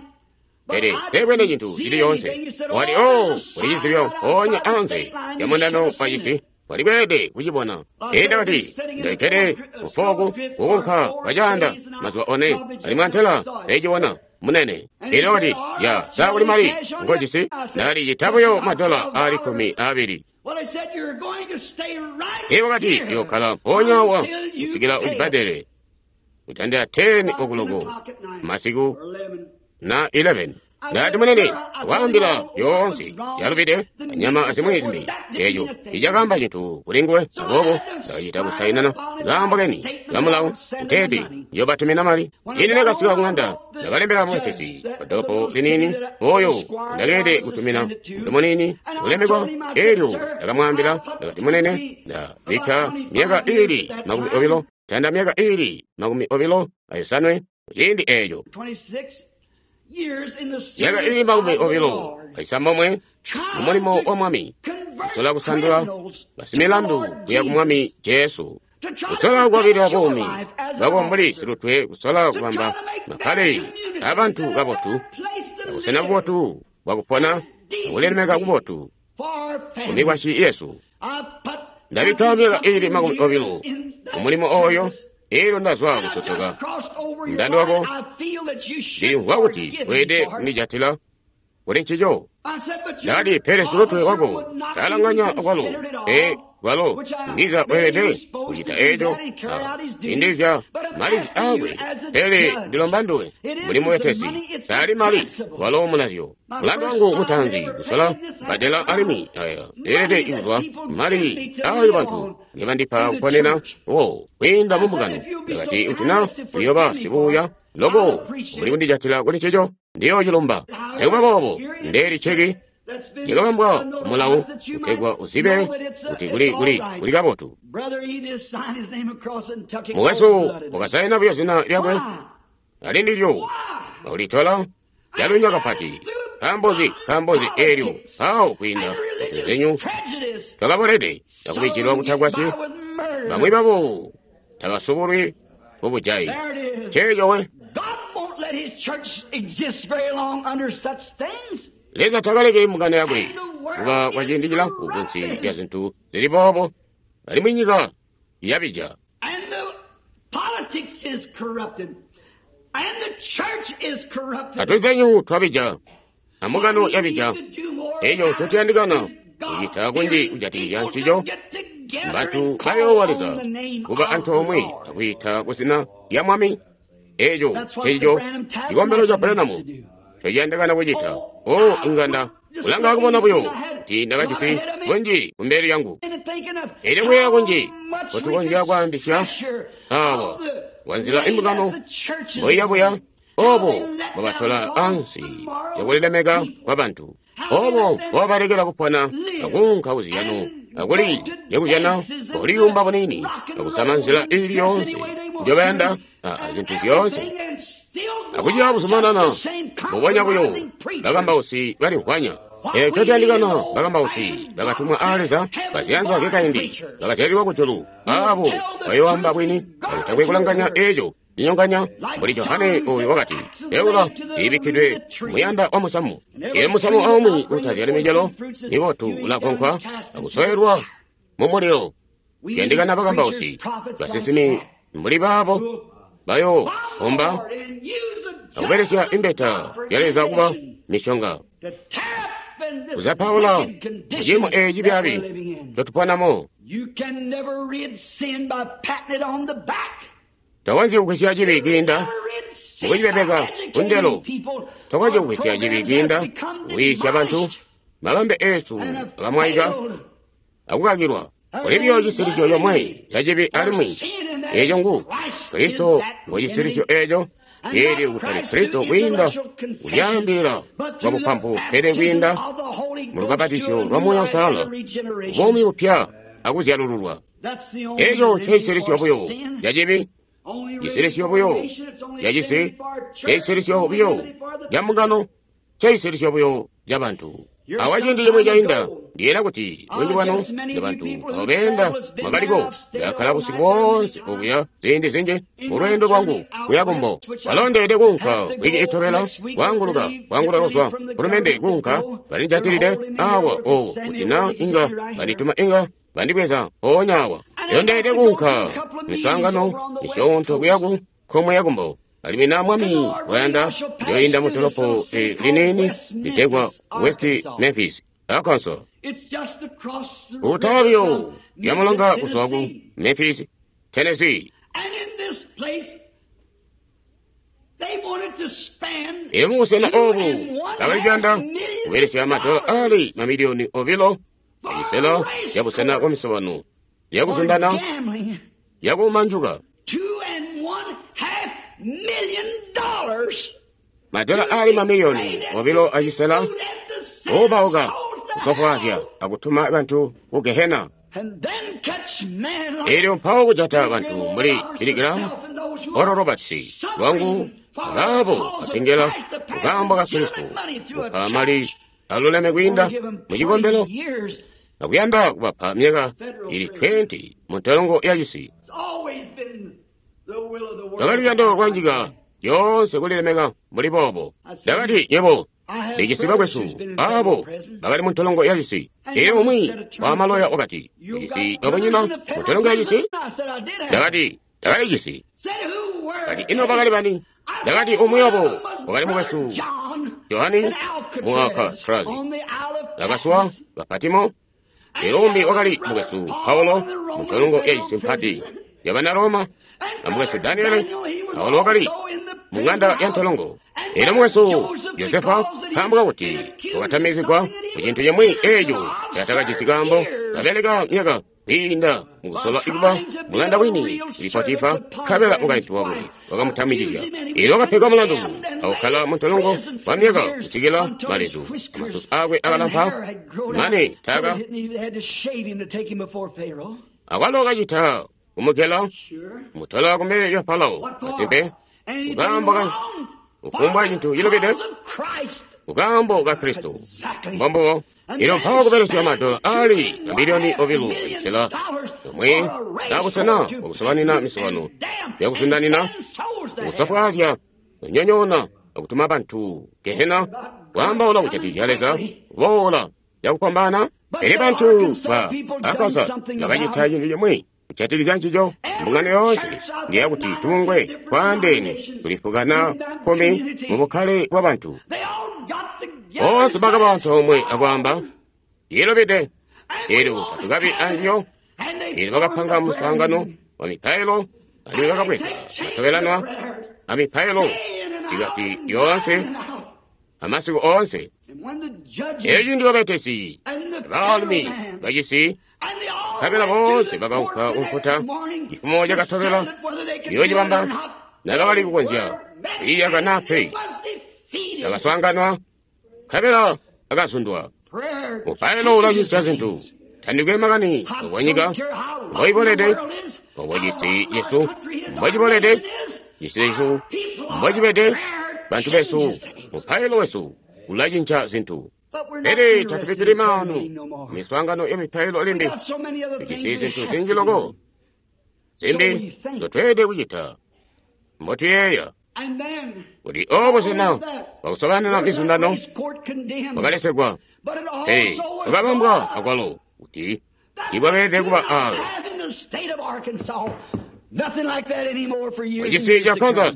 pele teebwene cintu cili yoonse. Wati, o, uli cizibyo mpoonya anze lya mundando wa cisi, wali kweelede kucibona. Ee, ndakati, ndalikede kufoku kukunka kwacaanda mazuba one, alimwi antela ndayicibona munene. Elyo wakati, ya, sa kuli mali ngojisi? Ndakati, cita buyo madola ali kkumi aabili. Ee, wakati, uyokkala mpoonya awa kusikila ucibbadele kutandila ten okuloko masiku na eleven. Ndati, munene, waambila yoonse yalubide anyama azimwi zimbi. Eco icakaamba cintu kuli nguwe. Aboobo ndakacita kusainana kaambo keni kamulawo kuteeti njobatumina mali. Ine nakasika kuŋanda, ndakalembela mubetesi wa dolopo liniini oyo ndakeelede kutumina muntu muniini ulemekwa. Elyo ndakamwaambila, ndakati, munene, ndabikka myaka iili makumi obilo tanda myaka iili makumi obilo ayosanwe ciindi eeco, myaka iili makumi obilo aisambomwe mumulimo wa Mwami, kusola kusandula basimilandu kuya ku Mwami Jesu, kusola kukwabilila buumi bwako mbuli silutwe, kusola kubamba makkale abantu kabotu, abusena bubotu bwakupona, akulilemeka kubotu kumikwasyi yesu. Ndabikka myaka iili makumi obilo mumulimo oyo, elyo ndazwa kusotoka mundando wako. Ndilimvwa kuti weelede kundijatila kuli ncico. Ndakati, pele silutwe wako talanganya kwalo, e kwalo ndiza weelede kucita eco indizya malizi akwe. Pele ndilomba nduwe mbuli mubetesi, taali mali walo munazyo. Mulandu wangu mutaanzi kusola badela alimwi aya eelede kuzwa mali ayo bantu ngebandipa kuponena wo kwiinda mumbungano. Ndakati, kuti na uyoba sibuuya loko mbuli kundijatila kuli ncico, ndiyoocilumba. Nikuba boobo, ndeeli ceki lyakabambwa mulawo kutegwa uzibe kuti kuli kuli kuli kabotu. Mukwesu wakasaina buyo zina lyakwe ali ndilyo akulitola calunya kapati. Nkaambozi? Nkaambozi eelyo mpawo kwiinda kuzinyu twakabolede akubijilwa kutagwasyi. Bamwi babo tabasubulwi kubujayi. Ceeco we. Leza takalekeli mbungano yakwe kuba kwa ciindi cilamfu kunsi lya zintu zili boobo, alimwi nyika yabija. Atuzenyu twabija, ambungano yabija. Eco ncotuyandikana kucita kunji kujatikizya ncico, bantu bayoowa Leza kuba antoomwe akwiita kuzina lya Mwami. Eco ncico cikombelo ca Branham ncociyandikana kucita. O inganda kulanga kubona buyo kuti ndakajisi kunji kumbele yangu, elyo kuyeeya kunji kotukonzya kwaambisya awa wanzila imbungano mboiyabuya, obo mbobatola ansi yakulilemeka kwa bantu, obo mbobalekela kupona akuunka kuziyano akuli yakuzyana kuliyumba bunini akusama nzila iili yoonse njobayanda azintu zyoonse akuciya buzumanana mbubonya buyo. Bakambausi balimvwanya. Eco cotuyandikana bakambausi bakatumwa aa Leza, baziyanza zyakaindi, bakazyalilwa kujulu, aabo bayooamba bwini akutakwe kulanganya eco cinyonganya, mbuli Johane oyo wakati, eula iibikkidwe muyanda wa musamu. Elyo musamu aumwi utazyali micelo mibotu ulagonkwa akusoelwa mumulilo. Tuyandikana bakambausi, basinsimi mbuli baabo bayoomba akubelesya imbeta ya Leza kuba mishonga kuzapaula muciimo eeci cibyaabi ncotuponamo. Tokonzyi kugwisya cibi kwiinda mukucipepeka kundelo. Tokonzyi kugwisya cibi kwiinda kuyiisya bantu. Mabambe eesu akamwaika akukakilwa. Kuli buyo cisilisyo comwe ca cibi alimwi eeco ngu Kristo. Ngo cisilisyo eeco. Eelyo kutali Kristo kwiinda kulyaambilila kwa bupampu, pele kwiinda mu lubapatizyo lwa Muuya Uusalala, buumi bupya akuzyalululwa. Eeco ncecisilисyo buyo ca cibi, cisilisyo buyo ca cisi, cecisilисyo buyo ca mbungano, cecisilисyo buyo ca bantu. Awa ciindi cimwi cainda, ndiyeeya kuti bunji bwanu bantu abo beenda mwakaliko. Ndakkala busiku boonse okuya ziindi zinji mulweendo lwangu kuya kumbo. Balondeede kuunka wiki itobela kwaanguluka kwaanguluka kuzwa kulumende kuunka balinjatilide awa owo kuti na inga bandituma inga bandibweza mpoonya awa. Elyo kuunka miswaangano misyoonto kuya ku nkomwe ya kumbo. Alimwi na Mwami wayanda, njoyinda mu dolopo liniini litegwa West Memphis, Arkansas. Kutala buyo lya mulonga kuzwa ku Memphis, Tennessee. Elyo mubusena obu bakali kuyanda kubelesya madola ali mamiliyoni obilo acisela cabusena bwa misobano yakuzundana yakumanjuka madola ali mamiliyoni obilo acisela oobauka kusofwaazya akutuma bantu ku Gehena. Elyo mpawo kujata bantu mbuli Billy Graham, Oral Roberts, lwangu abaabo bapengela kukaambo ka Kristo kupa mali aluleme kwiinda mu cikombelo akuyanda kubapa myaka ili twenty mu ntolongo ya cisi. Lwakali luyando lwa nyika yoonse kulilemeka mbuli boobo. Ndakati, nywebo ndijisi bakwesu abo bakali mu ntolongo ya cisi. Elyo umwi wa maloya wakati, ujisi babunyina mu ntolongo ya cisi? Ndakati, ndakalijisi. Kati, ino bakali bani? Ndakati, umwi wabo wakali mukwesu Johani mu Alcatraz, nakaswa ka Patimo. Elyo umbi wakali mukwesu Paulo mu ntolongo ya cisi mpati yabana Roma, na mukwesu Daniele Paulo wakali mu ng'anda ya ntolongo. Elyo mukwesu Josefa nkaambo kakuti wakatamizigwa ku cintu cimwi eeco catakajisi kaambo, kabeleka myaka kwiinda mukusola kuba mulanda wini kuli Potifa, nkabela mukaintu wakwe wakamutamikizya. Elyo wakapegwa mulandu akukkala mu ntolongo kwa myaka kusikila malezu amasusu akwe akalampa mane taka akwalo kacita kumugela mutola kumbele ya Farao. Masimpe, kukaambo ka kufumbwa cintu cilubide kukaambo ka Kristo mbombubo. Elyo mpawo kubelesya madola ali mamiliyoni obilo acisela yomwe naabusena bwakusobanina misobano yakusundanina kusofwaazya kunyonyoona akutuma bantu Gehena kwaambaula kujatikizya Leza kuboola yakupambana. Pele bantu ba Arkansas bakacita cintu cimwi kujatikizya ncico. Mbungano yoonse ngeyakuti tubungwe twaandeene tulifukana kkumi mu bukkale bwa bantu. Boonse bakaba antoomwe akwaamba, ilobede. Elyo tatukabi anjiyo. Elyo bakapanga muswaangano wa mipailo alimwi bakabweza matobelanwa amipailo cikati yoonse amasiku oonse. Elyo ciindi babetesi baalumi bacisi nkabela boonse bakaunka kunkuta cifumo cakatobela yoocibamba nabakali kukonzya kwiiyaka naa pe. Bakaswaanganwa nkabela akazundwa. Mupailo ulacinca zintu. Tandikwe makani obwa nyika mboibolede, obwa cisi cesu mbocibolede, cisi cesu mbocibede, bantu besu, mupailo wesu ulacinca zintu. Pele tatubikkili maanu miswaangano ya mipailo limbi. Tujisi zintu zinji loko zimbi nzotweelede kucita mbotuyeeya kuti obo busena bwakusobanina mizundano bwakalesegwa, pele bwakabambwa akwalo kuti tiibwakeelede kuba aalo. Mucisi ca Kansas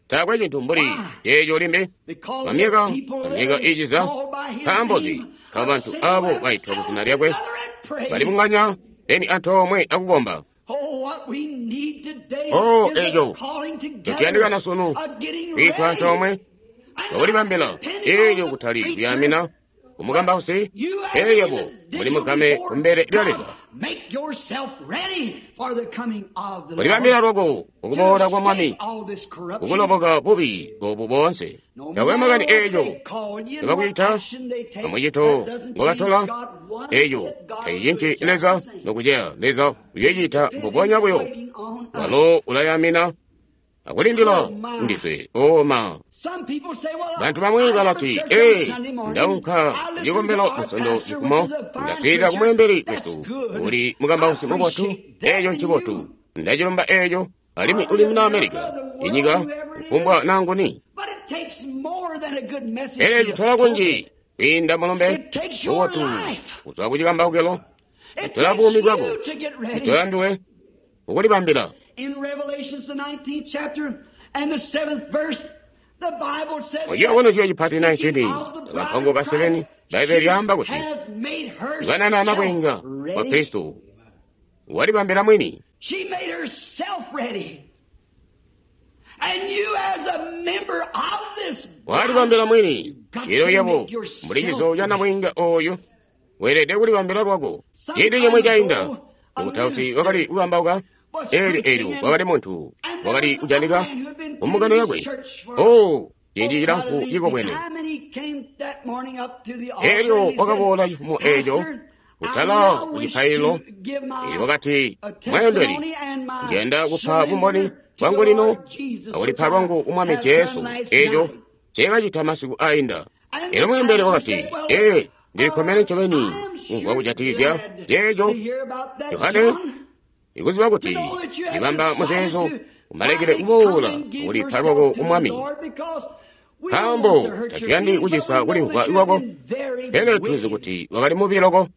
taakwe cintu mbuli ceeco limbi kwa myaka na myaka iiciza. Nkaambo nzi? Nkaambo bantu abo baitwa ku zina lyakwe balibunganya beni antoomwe akukomba. Oh, eco ncotuyandikana sunu kwiitwa antoomwe akulibambila eelyo kutali kuyaamina kumukambausi, pele yebo muli mugame kumbele lya Leza. Kulibambila lwako kukuboola kwa Mwami, kukuloboka bubi obu boonse. Takwe makani eeco nobakwiita amucito ngobatola, eeco tacicinci Leza nokuceya. Leza uyoocita mbubonya buyo. Walo ulayamina akulindila ndiswe. Oh ma, bantu bamwi balati, ee, ndaunka kucikombelo musondo cifumo, ndaswiilila kumweembeli wesu uli mukambausi mubotu. Eeco ncibotu, ndacilumba eeco, alimwi uli muna Amerika, inyika kufumbwa nanguni. Pele citola kunji kwiinda mulumbe mubotu kuzwa kucikambaukilo, citola buumi bwako, citola nduwe kukulibambila. Muciyobono cipati nineteen kampango ka seven, Bbaibele lyaamba kuti ikanana nabwiinga wa Kristo walibambila mwini. Walibambila mwini. Elyo yebo, mbuli cizo ca nabwiinga oyu, weelede kulibambila lwako. Ciindi cimwi cainda, mukutausi wakali kukambauka, elyo elyo wakali muntu wakali kujanika mu mbungano yakwe. Oh, ciindi cilamfu cikobwene. Elyo wakaboola cifumo eco kutala ku cipaililo, elyo wakati, "Mweembeli, ndiyanda kupa bumboni bwangu lino akulipa lwangu ku Mwami Jesu, eco nceekacita masiku ainda." Elyo mweembeli wakati, "Ee, ndilikkomene ncobeni kumvwa kujatikizya ceeco, Johane, ikuziba kuti ndibamba muzeezo umalekele kuboola kulipa lwako ku Mwami. Nkaambo tatuyandi kucisa kulimvwa kwako, pele tulizi kuti wakali mubi loko.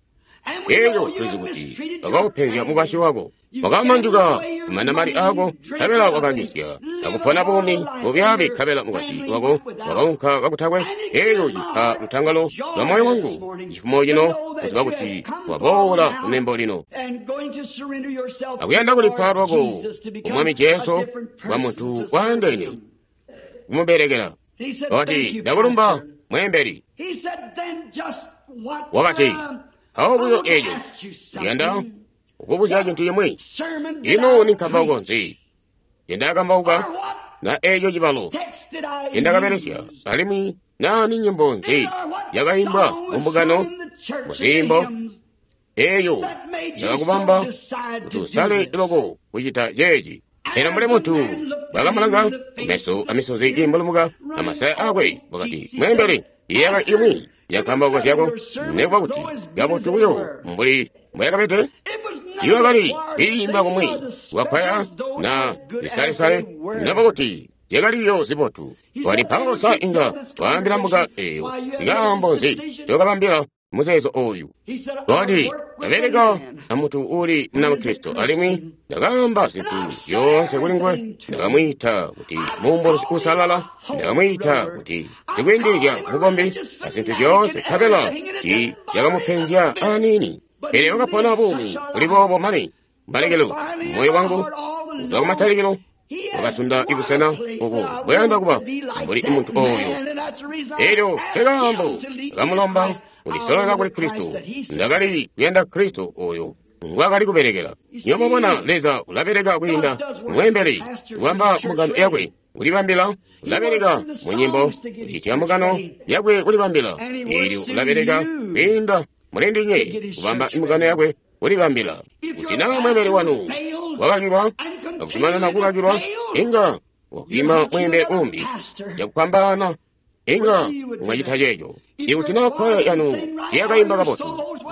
Elyo tulizi kuti wakaupenzya mukwasyi wako. Wakamanjuka kumana mali ako, nkabela wakanywisya akupona buumi bubyaabi, nkabela mukwasyi wako wakaunka kakutakwe. Elyo cipa lutangalo lwa moyo wangu cifumo cino kuziba kuti waboola kunembo lino akuyanda kulipa lwako ku Mwami Jesu kwa muntu waandeene kumubelekela." Wakati, "Ndakulumba, mweembeli." Wakati, "Mpawo buyo eco, ndiyanda kukubuzya cintu cimwi. Ino ni nkambauko nzi ngendakambauka, na eco cibalo ngendakabelesya, alimwi na ni nyimbo nzi yakaimbwa mu mbungano muziimbo eyo yakakubamba kuti usale loko kucita ceeci?" Elyo mbuli muntu bwakamulanga meso amisozi kiimbulumuka amasaya akwe, wakati, "Mweembeli, iyaka imwi yankambauko zyako nekuba kuti kabotu buyo mbuli mbweyakabede, iwakali kwiimba kumwi kwakwaya na lisalesale, nekuba kuti zyakaliyo zibotu." Wali mpawo sa inga waambila mbuga eyo nkaambo nzi ncokabambila muzeezo oyu? Wakati, "Ndabeleka na muntu uuli Munakristo, alimwi ndakaamba zintu zyoonse kuli nguwe. Ndakamwiita kuti muumbulizi uusalala, ndakamwiita kuti sikwiindilizya mukombi azintu zyoonse, nkabela tiicakamupenzya aniini. Pele wakapona buumi buli boobo mane mbalekelo moyo wangu kuzwa kumatalikilo wakasunda ibusena oku bwayanda kuba mbuli muntu oyo. Elyo nkekaambo ndakamulomba kundisololela kuli Kristo. Ndakali kuyanda Kristo oyo ngwaakali kubelekela." Nywebo mwabona, Leza ulabeleka kwiinda mweembeli kubamba mbungano yakwe kulibambila, ulabeleka mu nyimbo kucitya mbungano yakwe kulibambila, elyo ulabeleka kwiinda mulindinywe kubamba mbungano yakwe kulibambila. Kuti naa mweembeli wanu wakakilwa akuzumanana kukakilwa, inga wakwiima mweembeli umbi cakupambaana, inga mwacita ceeco. Ikuti naa kwaya yanu tiyakaimba kabotu,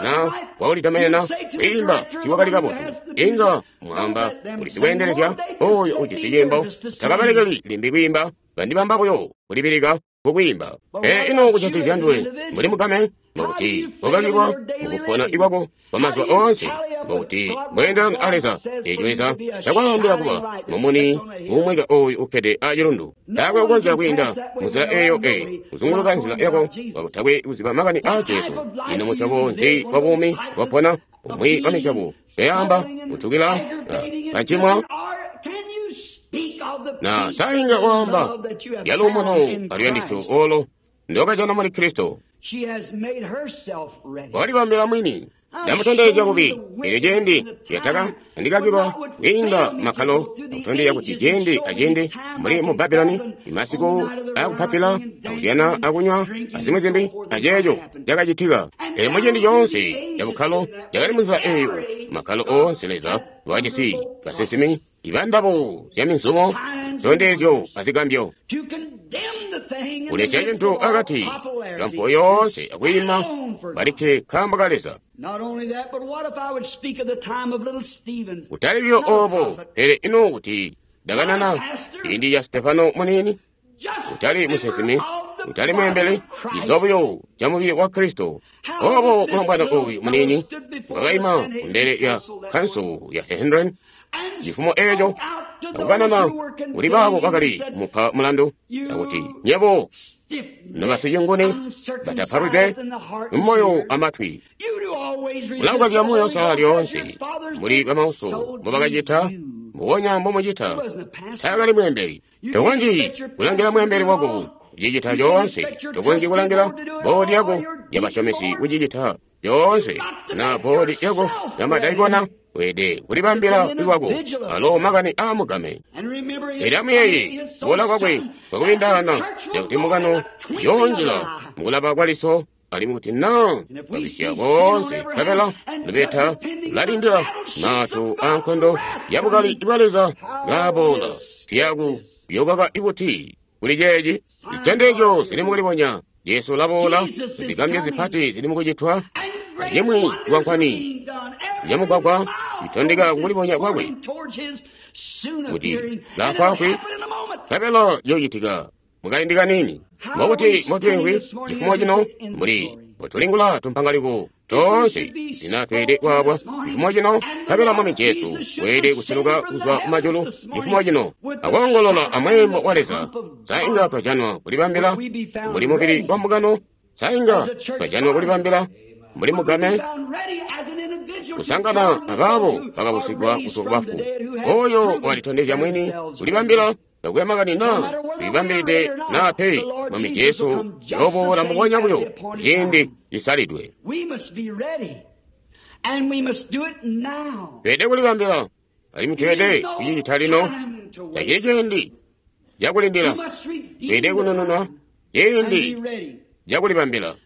na kwakulitomenena kwiimba tiikwakali kabotu, inga mwaamba kuli sikweendelezya oyo ujisi ciimbo, takabalekeli limbi kwiimba, bandibamba buyo kulibilika kukwiimba. Pele ino kujatikizya nduwe mbuli mugame, mbokuti wakakilwa mukupona ikwako kwa mazuba oonse, mbokuti mbweendelana a Leza, eeco Leza cakwaambila kuba mumuni uumweka oyu ukkede acilundu. Taakwe kukonzya kwiinda munzila eyo eyi, kuzunguluka nzila yako kakutakwe kuziba makani aa Jesu. Ino musyobo nzi wa buumi wapona? Umwi wa misyobo yaamba kutukila kancimwa na sainga waamba yaluumuno aluyandisyo olo ndokajana muli Kristo. Walibambila mwini. Ndamutondezya bubi elyo ciindi yataka andikakilwa kwiinda makkalo, akutondezya kuti ciindi aciindi mbuli mu Babuloni imasiku akupapila akuzyana akunywa azimwi zimbi aceeco cakacitika. Pele muciindi coonse cabukkalo cakali munzila eyo, makkalo oonse Leza wajisi basinsimi ibandabo zya minzumo, zitondezyo azigambyo, kulesya cintu akati kampo yoonse akwiima balikke nkaambo ka Leza. Kutali buyo obo, pele ino kuti ndakanana ciindi ca Stefano muniini, kutali musinsimi, kutali mweembeli, cizo buyo ca mubili wa Kristo. Obo mulombwana oyu muniini wakaima kumbele ya kanso ya Sanhedrin cifumo eeco akukanana kuli baabo bakali kumupa mulandu, akuti, "Nyebo nobasicinguni batapalwidwe mumoyo amatwi, mulakukazya Muuya Uusalala lyoonse mbuli bamauso mbobakacita, Mbubonya mbomucita. Taakali mweembeli. Tokonzyi kulangila mweembeli wako kucicita coonse. Tokonzyi kulangila boodi yako yabasyomesi kucicita coonse, na boodi yako yamadaikona. Weelede kulibambila lwako alo makani aamugame. Elyo amuyeeye kuboola kwakwe kwakubindaana cakuti mukano yoonjila mukulaba kwaliso, alimwi kuti naa babisya boonse nkabela lubeta lulalindila mato aankondo yabukali bwa Leza ngaaboola. Tuyaku kuyokaka ibuti kuli ceeci? Zitondezyo zili mukulibonya. Jesu ulaboola, zigambyo zipati zili mukucitwa, acimwi cikwankwani camugwagwa citondeka kukulibonya kwakwe kuti laafwaafwi, nkabela ciyoocitika mukaindi kaniini. Mbokuti motweengwi cifumo cino mbuli mbotulingula tumpangaliko toonse zinatweelede kwaabwa cifumo cino, nkabela Mwami Jesu weelede kuseluka kuzwa kumajulu cifumo cino akoongolola amweembo wa Leza. Sa inga twajanwa kulibambila mbuli mubili wa mbungano? Sa inga twajanwa kulibambila mbuli mugame kusangana abaabo bakabusigwa kuzwa kubafu? Oyo walitondezya mwini kulibambila takwe makani naa tulibambilide naa pe. Mwami Jesu yooboola mbubonya buyo ciindi cisalidwe. Tweelede kulibambila alimwi tweelede kucicita lino. Tacili ciindi cakulindila. Tweelede kunununwa ciindi cakulibambila.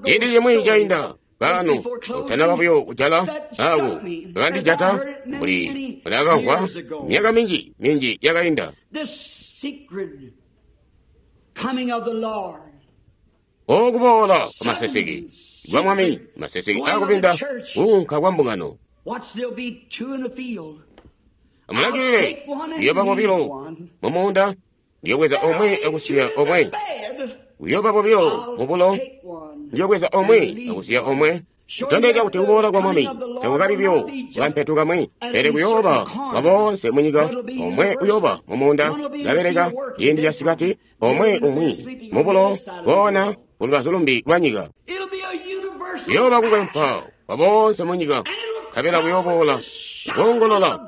Ciindi cimwi cainda kaano utanaba buyo kujala ako kakandijata mbuli ndakamvwa myaka minji minji yakainda. Okuboola kwa maseseke kwa Mwami, maseseke akupinda kuunka kwa mbungano. Amulangilile, kuyoba bobilo mumuunda, ndiyobweza omwe akusiya omwe. Kuyoba bobilo mubulo, ndiyobweza omwe akusiya omwe. Kutondezya kuti kuboola kwa Mwami takukabi buyo kampetu kamwe, pele kuyooba kwa boonse munyika. Omwe uyoba mumuunda kabeleka ciindi ca sikati, omwe umwi mubulo koona kulubazu lumbi lwa nyika. Kuyooba kukwempwa kwa boonse munyika, nkabela kuyooboola koongolola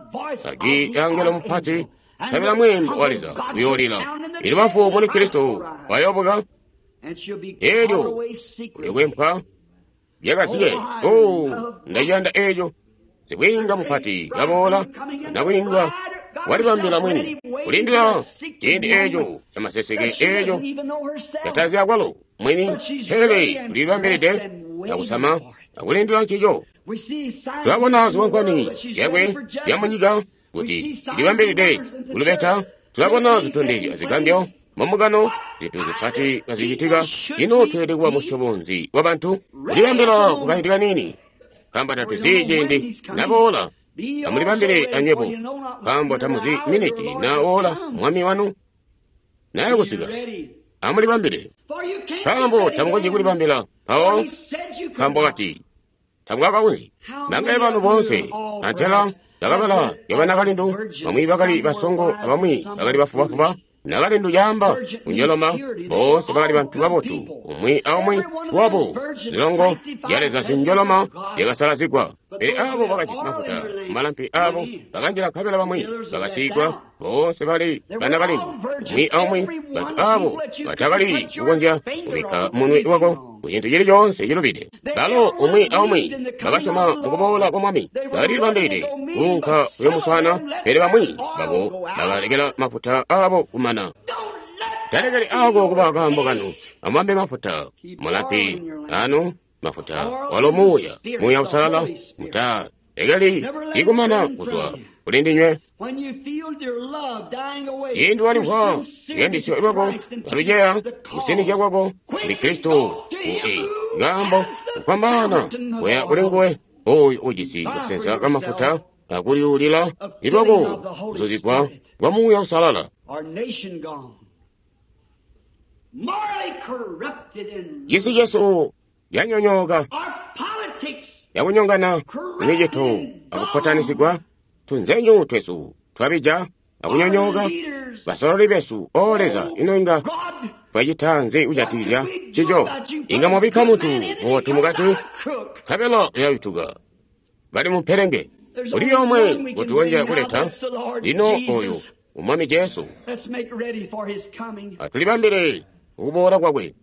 ajwi lya angelo mupati, nkabela mweembo wa Leza uyoolila. Elyo bafu muli Kristo bayoobuka, elyo kuyokwempwa byakazike. O, ndaciyanda eeco. Sibwiinga mupati kaboola, nabwiinga walibambila mwini kulindila ciindi eeco camaseseke eeco catazi akwalo mwini, pele tulibambilide akusama akulindila ncico. Tulabona zikwankwani zyakwe zyamunyika kuti tulibambilide kulubeta. Tulabona zitondezyo azigambyo mumugano, zintu zipati kazicitika. Ino tweelede kuba musyobo nzi wabantu? Kulibambila kukaindi kaniini, nkaambo tatuzi ciindi naboola. Amulibambile anywebo, nkaambo tamuzi miniti naoola Mwami wanu naye kusika. Amulibambile, nkaambo tamukonzyi kulibambila mpawo, nkaambo kati tamukakakonzyi. Bangaye banu boonse antela bakabala yabanakalindu, bamwi bakali basongo abamwi bakali bafubafuba. Nakalindu yaamba kunjoloma, boonse bakali bantu babotu, umwi aumwi wabo zilongo zya Leza zinjoloma zyakasalazigwa. Pele abo bakajisi mafuta malampi abo bakanjila, nkabela bamwi bakasigwa. Boonse bali banakalindu, umwi aumwi bantu abo batakali kukonzya kubikka munwe wako kucintu cili coonse cilubide. Balo umwi aumwi bakasyoma mukuboola kwa Mwami, bakalilibambilide kuunka kuyomuswaana, pele bamwi babo bakalekela mafuta abo kumana. Talekeli ako kuba kaambo kanu. Amubambe mafuta mulampi anu, mafuta walo Muuya, Muuya Usalala. Mutalekeli ikumana kuzwa kuli ndinywe. Ciindi walimvwa luyandisyo lwako kaluceya, kusinizya kwako kuli Kristo ku kaambo kufwambaana kuya kuli nguwe oyo ujisi kasensa kamafuta akulyuulila ilwako kuzuzigwa kwa Muuya Usalala. Cisi cesu yanyonyooka, yakunyongana micito akupotanisigwa. Tunzenyu twesu twabija akunyonyooka. Basololi besu, o Leza, ino inga twacita nzi kujatikizya ncico? Inga mwabikka muntu mubotu mukati, nkabela uyayutuka kali mupelenge. Kuli omwe ngotukonzya kuleta lino oyo Umwami Jesu. Atulibambile ukuboola kwakwe.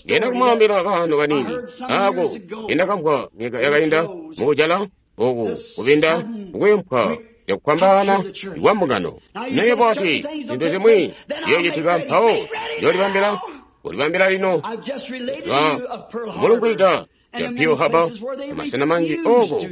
Ndiyanda kumwaambila kaano kaniini ako kendakamvwa myaka yakainda mukujala oku kupinda kukwempwa cakukwambana kwa mbungano. Naye bwati zintu zimwi ziyoocitika mpawo njoolibambila kulibambila lino twa kumulungwida ya Pearl Harbor amasena manji oko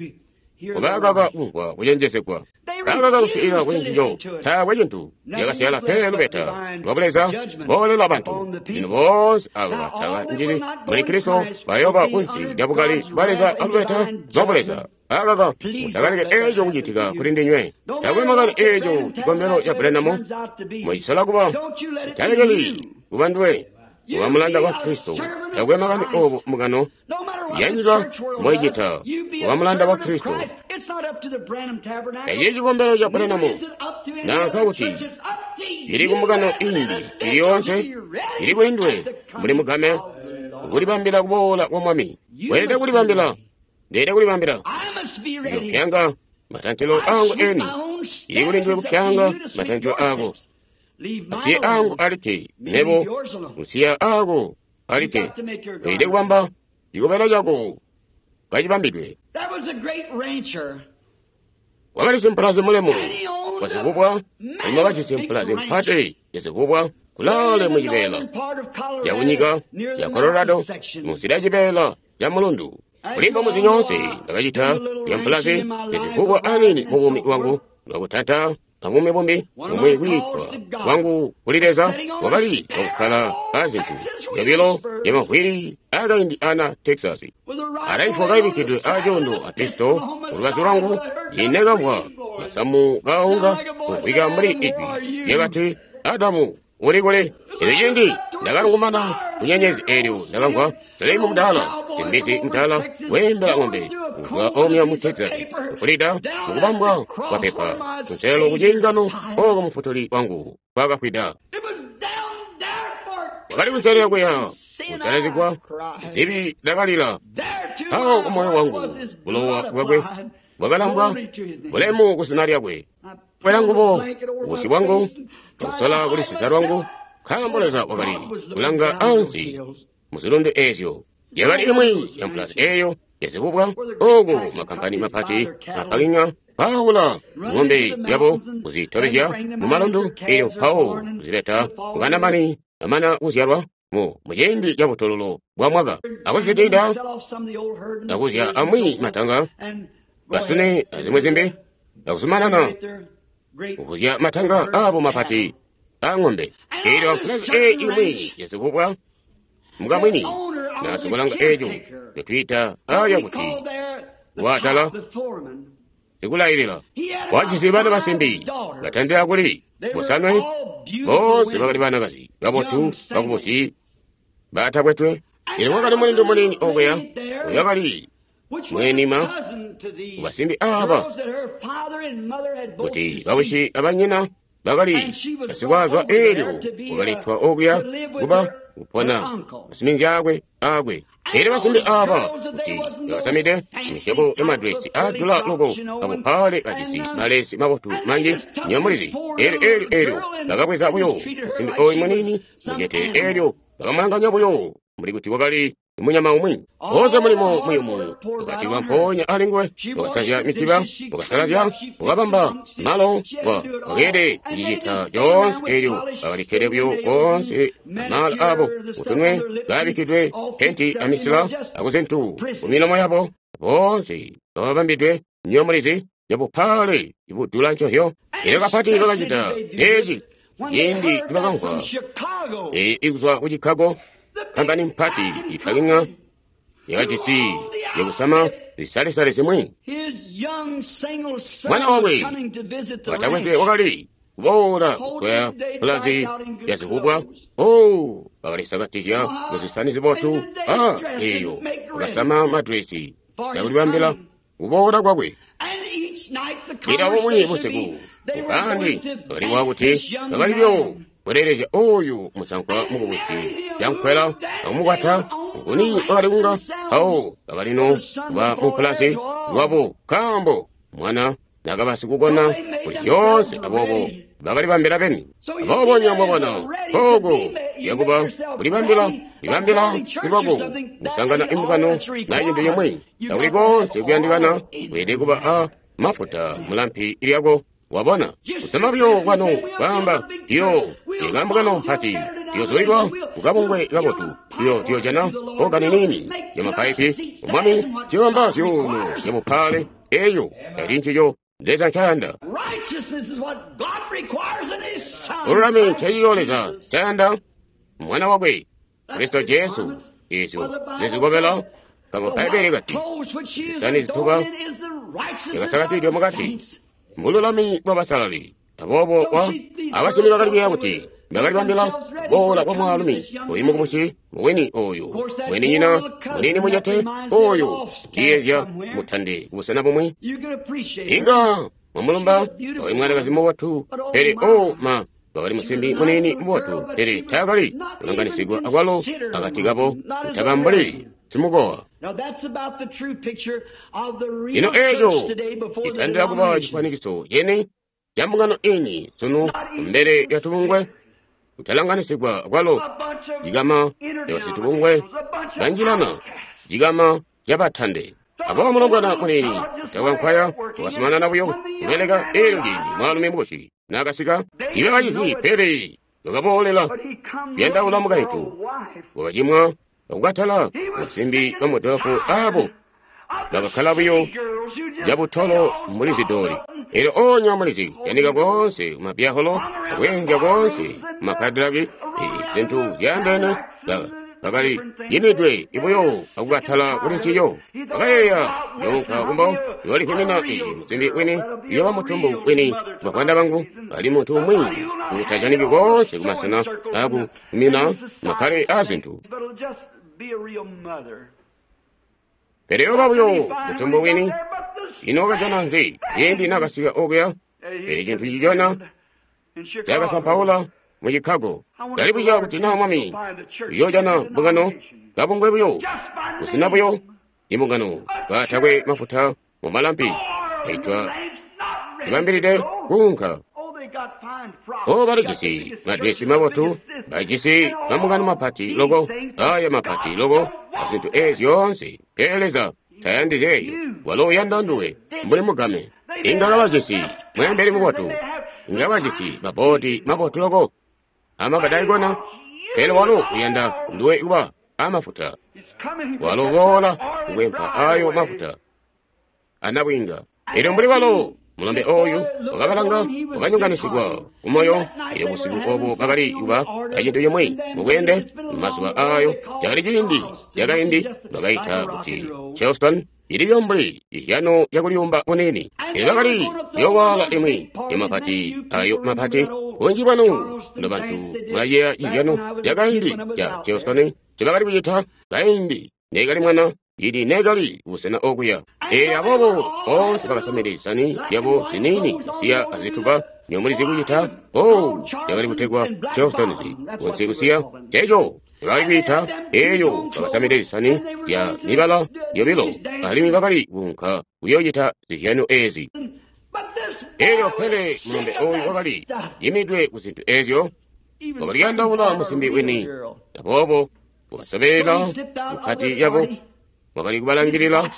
kubakaka kumvwa kucenjezegwa bakaka kusiila kwenjijo taakwe cintu yakasiyala pe lubeta lwa buleza boolela bantu. Lino boonse abo bataka njili muli Kristo bayoba kunsi lya bukali bwa Leza alubeta lwa buleza. Akaka mutakaleke eco kucitika kuli ndinywe. Taakwe makani eco cikombelo ca Branham mucisola kuba mutalekeli kuba nduwe kuba mulanda wa Kristo. Taakwe makani obo mukano yanyika moicita kuba mulanda wa Kristo. Eci cikombelo ca Branham nanka kuti ili kumukano imbi ili yonse ili kuli nduwe muli mugame kulibambila kuboola kwa Mwami. Weelede kulibambila. Ndeelede kulibambila. Ndiyopyanga matantilo angu eni. Ili kuli nduwe kupyanga matantilo ako. Asiye angu alike nebo usiya ako alike. Weelede kubamba cikobela cako kacibambidwe. Wakali simpulazi mulemu wazivubwa, alimwi wakajisi mpulazi mpati yazivubwa kulaale mu cibeela ca kunyika ya Colorado munsi lya cibeela ca mulundu. Kulimba muzi nyonse ndakacita lya mpulazi yazivubwa anini mu buumi bwangu lwakutanta kabuumi bumbi bumwi kwiitwa kwangu kuli Leza wakali wakukkala azintu zyobilo zyamavwili akaindi ana Texas. Alaifwa kaibikkidwe acondo a pisto kulubazu lwangu ine kamvwa masamu kaunga kumvwika muli ijwi lyakati, Adamu uli kuli? Elyo cindi ndakalungumana kunyenyezi eelyo ndakamvwa Salimu mudala simbizi mudala weembela ng'ombe kuzwa omwe mu Texas kukulida mukubambwa kwa pepa kunselo kucingano oko mufutuli wangu kwakafwida. Wakali kunselera kuya kusalazigwa zibi ndakalila awo kumoyo wangu bulowa bwakwe bwakalambwa bulemu kusina lyakwe. Kwela ngubo busi bwangu akusola kulisisa lwangu nkaambo Leza wakali kulanga ansi muzilundu ezyo. Yakali imwi ya mpulazi eyo yazivubwa oku makampani mapati apakinya paawula ng'ombe yabo kuzitobezya mu malundu elyo mpawo kuzileta kubanamani bamana kuzyalwa mu muciindi ca butololo bwa mwaka akuzitinda akuzya amwi matanga basune azimwi zimbi akuzumanana kukuzya matanga abo mapati a ng'ombe. Elyo mpulazi eyi imwi yazivubwa mukamwini nasikulanga eco lyotwiita aya kuti watala sikulayilila wajisi bana basimbi batandila kuli bosanwe bonse bakali banakazi babotu bakubusi batakwetwe. Elyo kwakali mulindu munini okuya uyakali mwenima kubasimbi aba kuti bawishi abanyina bakali basikwazwa elyo wakalitwa okuya kuba kupona masiminzi akwe akwe. Elyo basimbi aba kuti bakasamide misyobo ya madresi adula loko abuphale kajisi malesi mabotu manji nyamulizi. Elyo elyo elyo bakabweza buyo musimbi oyu munini mucete elyo bakamulanganya buyo mbuli kuti wakali munyama umwi. Wonse mulimo muyumu wakatilwa mpoonya alinguwe, wakasanzya mitiba, wakasalazya, wakabamba malo, wakeede kucicita coonse elyo bakalikkede buyo koonse amala abo kutunwe kabikkidwe penti amisila akuzintu kumilomo yabo boonse kababambidwe nyomulizi yabuphale ibudula ncohyo. Elyo kapati bakacita eci ciindi nibakamvwa ikuzwa ku Chicago kampani mpati ipakinya yakajisi yakusama zisalesale zimwi. Mwana wakwe watakwetwe wakali kuboola kuswaya pulazi yazivubwa. Oh, bakalisakatizya muzisani zibotu a eyo bakasama madresi yakulibambila kuboola kwakwe. Ila bumwi busiku ubandi bakaliwa kuti bakalibyo kuleelezya oyu musankwa mukubusi yankwela akumukwata nguni wakali kunga mpawo bakalino kuba mupulasi lwabo nkaambo Mwana nakaba sikukona kuli zyoonse, aboobo bakalibambila beni. Aboobo nywebo mwabona kooku yakuba kulibambila, kulibambila lwako kusangana imbungano na cintu cimwi. Takuli konse kuyandikana, weelede kuba a mafuta mulampi lyako. Wabona kusama buyo kwanu kwaamba tiyo ikambungano mpati tiyozulilwa kukabungwe kabotu tiyo tiyojana ogani nini ya mapaipi umwami tiyobamba zyuuno zya bupaale eyo tali ncico Leza ncayanda. Bululami ncecico Leza ncayanda mwana wakwe Kristo Jesu. Ezyo zizikobela kambo Bbaibele kati zisani zituba yakasakatidwe mukati mbululami bwabasalali. Aboobo wa abasimi bakali kuyeeya kuti bakalibambila kuboola kwa mwaalumi oyu mukubusi muwini oyu mweninyina muniini mucete oyu ndiyeezya mutande kubusena bumwi. Inga mwamulumba oyu mwanakazi mubotu, pele o ma wakali musimbi muniini mubotu, pele taakali kulanganisigwa akwalo akati kabo kutaba mbuli simukowa. Lino eeco citandila kuba cifwanikiso cene ca mbungano ini sunu kumbele lya tubungwe kutalanganisigwa kwalo cikama ca basitubungwe banjilana cikama ca batande. Aboobo mulombwana muniini utakwankwaya wakazumanana buyo kubeleka. Eelyo ciindi mwaalumi mukubusi naakasika, tiibakacizi, pele wakaboolela kuyandaula mukaintu. Wakacimwa akukatala basimbi bamudolopo aabo bakakkala buyo cabutolo mbuli zidoli. Eelyo oonya mulizi yanika koonse kumabyaholo akweenzya koonse kumakadilaki zintu zyaandeene bakali yimidwe ibuyo akukatala kuli ncico. Bakayeeya younka kumbo yoolihwimina iyi musimbi wini yoba mutumbu wini. Bavwanda bangu bali muntu umwi utajaniki koonse kumasena akuhwimina makkale aazintu. Pele yoba buyo mutumbu wini. Ino wakajana nzi ciindi naakasika okuya? Pele cintu cicona cakasampaula mu Chicago. Ndalibuzya kuti naa mwami uyoojana mbungano kabungwe buyo kusina buyo imbungano katakwe mafuta mu malampi aitwa libambilide kuunka. O balijisi madresi mabotu, bajisi mambungano mapati loko, aya mapati loko azintu ezi zyoonse. Pele Leza tayandi zeeyo, walo uyanda nduwe mbuli mugame. Inga kabajisi mweembeli mubotu, inga kabajisi maboodi mabotu loko amabadaikona, pele walo uyanda nduwe kuba amafuta. Walo boola kukwempa ayo mafuta anabwinga. Elyo mbuli walo mulombe oyu wakabalanga wakanyonganisigwa kumoyo. Elyo busiku obo bakali kuba acintu cimwi mubweende mazuba ayo cakali ciindi cakaindi bakaita kuti Charleston iliyo mbuli ihyano yakuliyumba kunini. Elyo bakali kuyowaala imwi yamapati ayo mapati. Bunji bwanu nobantu mulayeeya cihyano cakaindi ca Charleston ncibakali kucita kaindi neekali mwana ili neekali kubusena okuya. Ee aboobo boonse bakasamide zisani zyabo ziniini zisiya azituba nyomulizi kucita. O yakali kutegwa Charlestons kunsi kusiya ceco bakali kwiita. Eeyo bakasamide zisani zya mibala yobilo alimwi bakali kuunka kuyoocita zihyano ezi. Eelyo pele mulombe oyu wakali yimidwe ku zintu ezyo, wakaliyandaula musimbi wini. Aboobo wakasobelela mukati yabo, wakali kubalangilila,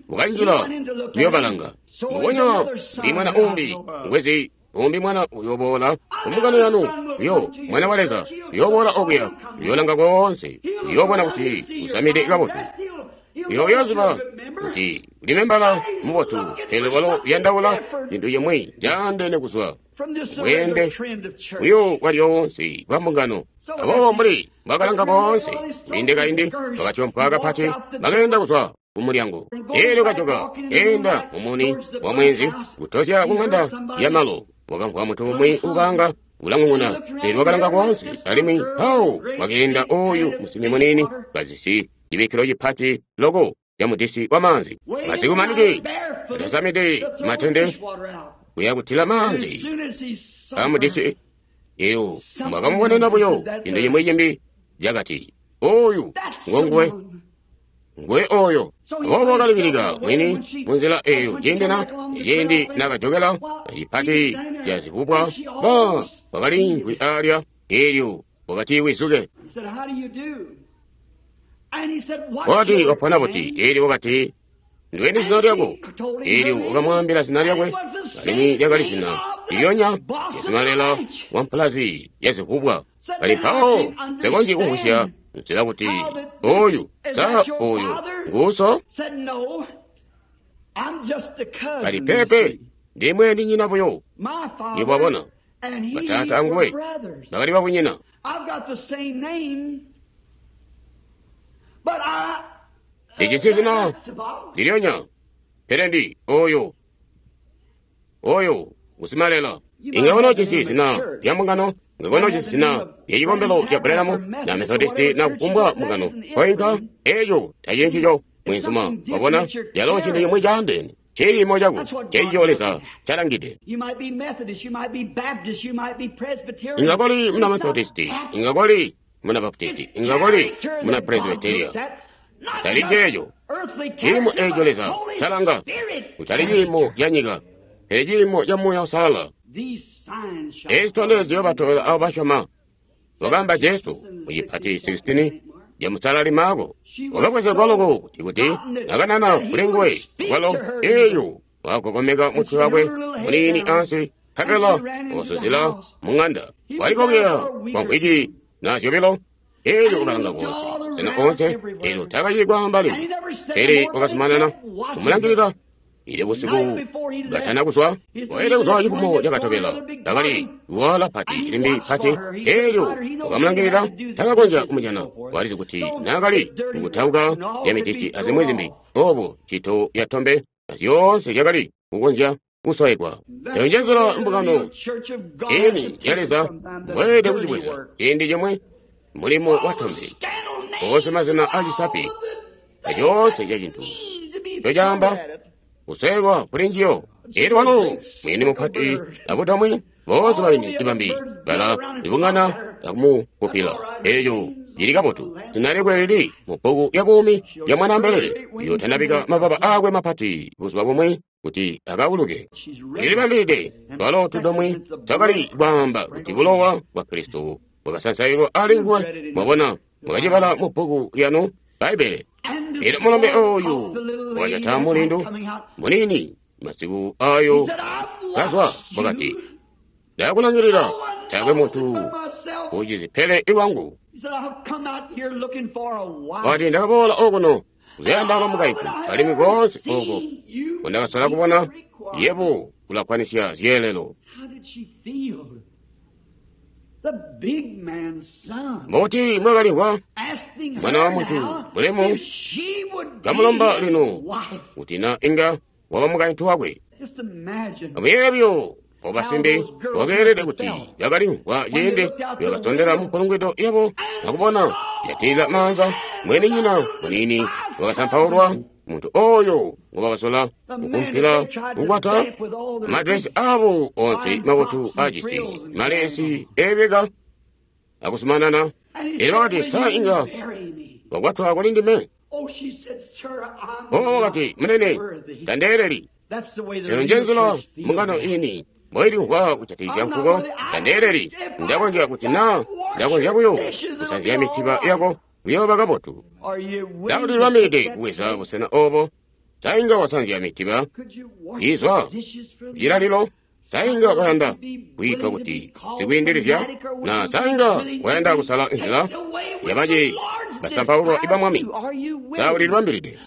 wakanjila kuyobalanga. Mbubonya mbuli mwana umbi ngwezi umbi mwana uyoboola kumbungano yanu, uyo mwana wa Leza uyoboola okuya, uyolanga koonse, uyobona kuti usamide kabotu, uyoyoziba kuti uli membala mubotu, pele walo uyandaula cintu cimwi caandeene kuzwa bweende buyo bwalyoonse bwa mbungano. Aboobo mbuli bwakalanga boonse kwiinde kaindi, bakatyompwa kapati, bakeenda kuzwa kumulyango. Eelyo kajoka keenda mumuni wa mwezi kutozya kuŋanda yamalo, wakamvwa muntu umwi ubanga ulang'ung'una. Eelyo wakalanga koonse, alimwi mpawo wakeenda oyu musimbi muniini kazisi cibikkilo cipati loko ca mudisi wamaanzi. Masiku manji atasamide matende kuya kutila maanzi amudisi. Eelyo mwakamubonena buyo cintu cimwi cimbi cakati, oyu ngonguwe. Ngwe oyo. Aboobo wakalibilika mwini munzila eyo ciindi na ciindi nakajokela cipati ca zivubwa ba wakaliimvwi alya elyo wakati wizuke. Wakati wapona buti elyo wakati ndiweni zina lyako elyo wakamwaambila zina lyakwe alimwi lyakali zina lilyonya yasimalela wa mpulazi ya zivubwa. Kali mpawo nsekonzyi kumvwisya nzila kuti oyu sa oyu nguso kali pepe ndimwe ndi nyina buyo nibwabona batata anguwe bakali babunyina. Ndijisi zina lilyonya pele ndi oyo oyo ngusimalela. Inga jisi zina lya mbungano ngakono jisi zina lya cikombelo ca Branham na Methodisti na kufumbwa mbungano koinka eyo tacili ncico mwenzuma wabona yalo ncintu cimwi caandeene ciimo cako ceico Leza calangide. Inga koli muna Methodisti, inga koli muna Baptisti, inga koli muna Presbyteria. Tali ceeco ciimo eco Leza calanga kutali ciimo ca nyika pele ciimo ca Muuya Uusalala. Ezi zitondezyo batobela abo basyoma wakaamba Jesu mu cipati sixteen ya musalali Marko. Wakabwezegwa loko kuti kuti nakanana kuli nguwe walo eyo wakagokomeka mutwe wakwe muniini ansi nkabela wasuzila mung'anda. Walikokela kwa nkhwiki na zyobilo elyo wakalanga konse sena onse elyo takacili kwaamba limbi pele wakazumanana kumulangilila ile busiku gatana kuzwa waile kuzwa cifumo cakatobela takali wala pati limbi pati elyo wakamulangilila takakonzya kumujana. Walizi kuti nakali mukutauka lya mitisi azimwi zimbi obo cito ya tombe azyoonse zyakali kukonzya kusoyegwa. Eyo njenzela mbungano ini ya Leza mbweelede kucibweza ciindi cimwe mulimo wa tombe oonse mazina acisapi acoonse ca cintu cocaamba kuselwa kuli njiyo. Elyo walo mwini mupati abutamwi boonse baini ibambi bala libungana akumukupila. Eyo lili kabotu zinalekwe lili mu bbuku ya buumi ya Mwanaambelele yotanabika mababa akwe mapati buzuba bumwe kuti akauluke. Lilibambilide lwalo tudomwi twakali kwaamba kuti bulowa bwa Kristo bwakasansailwa ali nguwe. Mwabona mwakacibala mu bbuku lyanu Bbaibbele. Elyo mulombe oyu wakajata mulindu munini masiku ayo kazwa wakati ndakulangilila taakwe muntu ucizi pele iwangu. Wakati ndakaboola okuno kuzayandala mukaifu alimwi konse oko kundakasola kubona yebo ulakwanisya zyeelelo. Mbuti mwakalimvwa mwana wa muntu mulemu kamulomba lino kuti na inga waba mukaintu wakwe. Amuyeeye obasimbi wakeelede kuti bakalimvwa ciindi bakasondela mupulungwido yabo akubona yatiila maanza mwene nyina munini wakasampaulwa muntu oyo ngobakasola kukumpila kukwata amadresi abo onse mabotu ajisi malesi ebeka akusumanana. Elyo bakati sa inga wakwatwa kuli ndime. O wakati munene tandeeleli. Eyo njenzela mbungano ini mboilimvwa kujatikizya nkuko. Tandeeleli ndakonzya kuti na ndakonzya buyo kusanzya mitiba yako kuyooba kabotu. Ndakulilwamilide kuweza busena obo sainga wasanzya mitiba izwa kucilalilo. Sainga wayanda kwiitwa kuti sikwiindilizya na sainga wayanda kusala nzila yabaci basampaulwa iba Mwami. Saulilwambilide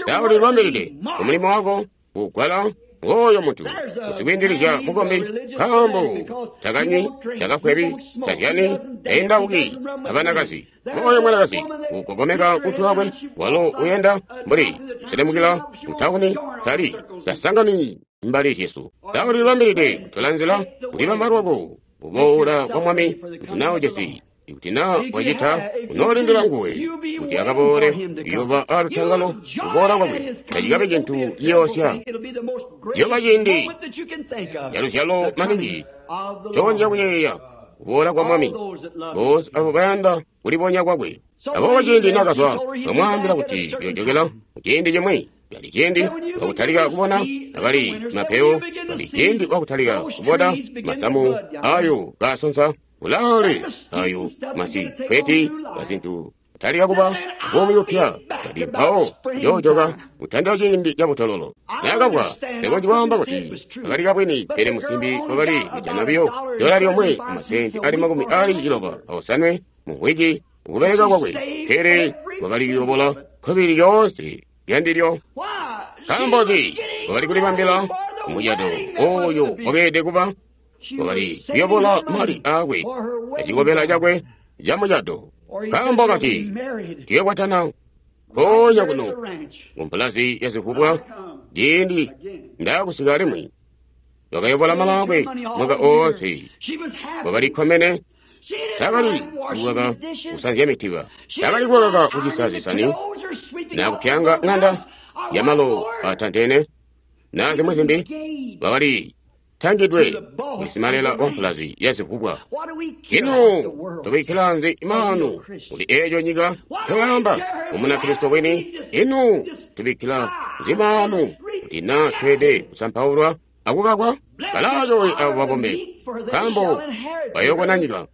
saulilwambilide kumulimo wako kugwala ngooyo muntu usikwiindilizya mukombi nkaambo takanywi takafwebi tazyani taindauki abanakazi. Ngooyo mwanakazi ugogomeka kutwi wakwe walo uyenda mbuli kuselemukila mutauni tali tasangani mbali zyesu. Saulilwambilide kutola nzila kulibamba lwako kuboola kwa Mwami kuti nawo jesi kuti na wacita unoolindila nguwe kuti akaboole kuyoba alutangalo kuboola kwakwe tacikabe cintu ciyoosya. Ciyoba ciindi caluzyalo maningi cokonzya kuyeeya kuboola kwa Mwami boonse abo bayanda kulibonya kwakwe. Aboobo ciindi nakazwa, bamwaambila kuti uyojokela ciindi cimwi. Kali ciindi wakutalika kubona akali mapeyo, kali ciindi wakutalika kubona masamu ayo kasonsa ulaale ayo masikweti kazintu kutalika kuba buumi bupya. Kali mpawo njojoka kutandila ciindi cabutololo. Naakabwa tekonji kwaamba kuti akali kabwini, pele musimbi wakali kujana biyo dola lyomwe amasenti ali makumi ali ciloba aosanwe mu wiki ukubeleka kwakwe, pele wakali kuyobola kkobili lyoonse lyandilyo. Nkaambo nzi? Wakali kulibambila mucado oyo wakeelede kuba. Wakali kuyobola mali aakwe acikobela cakwe ca mucado. Nkaambo kati tuyokwatana nkoonya kuno kumpulazi ya zivubwa ciindi ndaakusika alimwi. Wakayobola malaakwe mwaka oonse. Wakali kkomene. Takali kukaka kusanzya mitiba, takali kukaka kucisa zisani, na kupyanga ng'anda yamalo atantene, na zimwi zimbi. Wakali tangidwe kulisimalela wa mpulazi ya zivubwa. Ino tubikkila nzi maanu kuli eeco nyika ncoyamba Umunakristo wini? Ino tubikkila nzi maanu kuti na tweede kusampaulwa akukakwa? Balaacowe abo babombe, nkaambo bayookona nyika.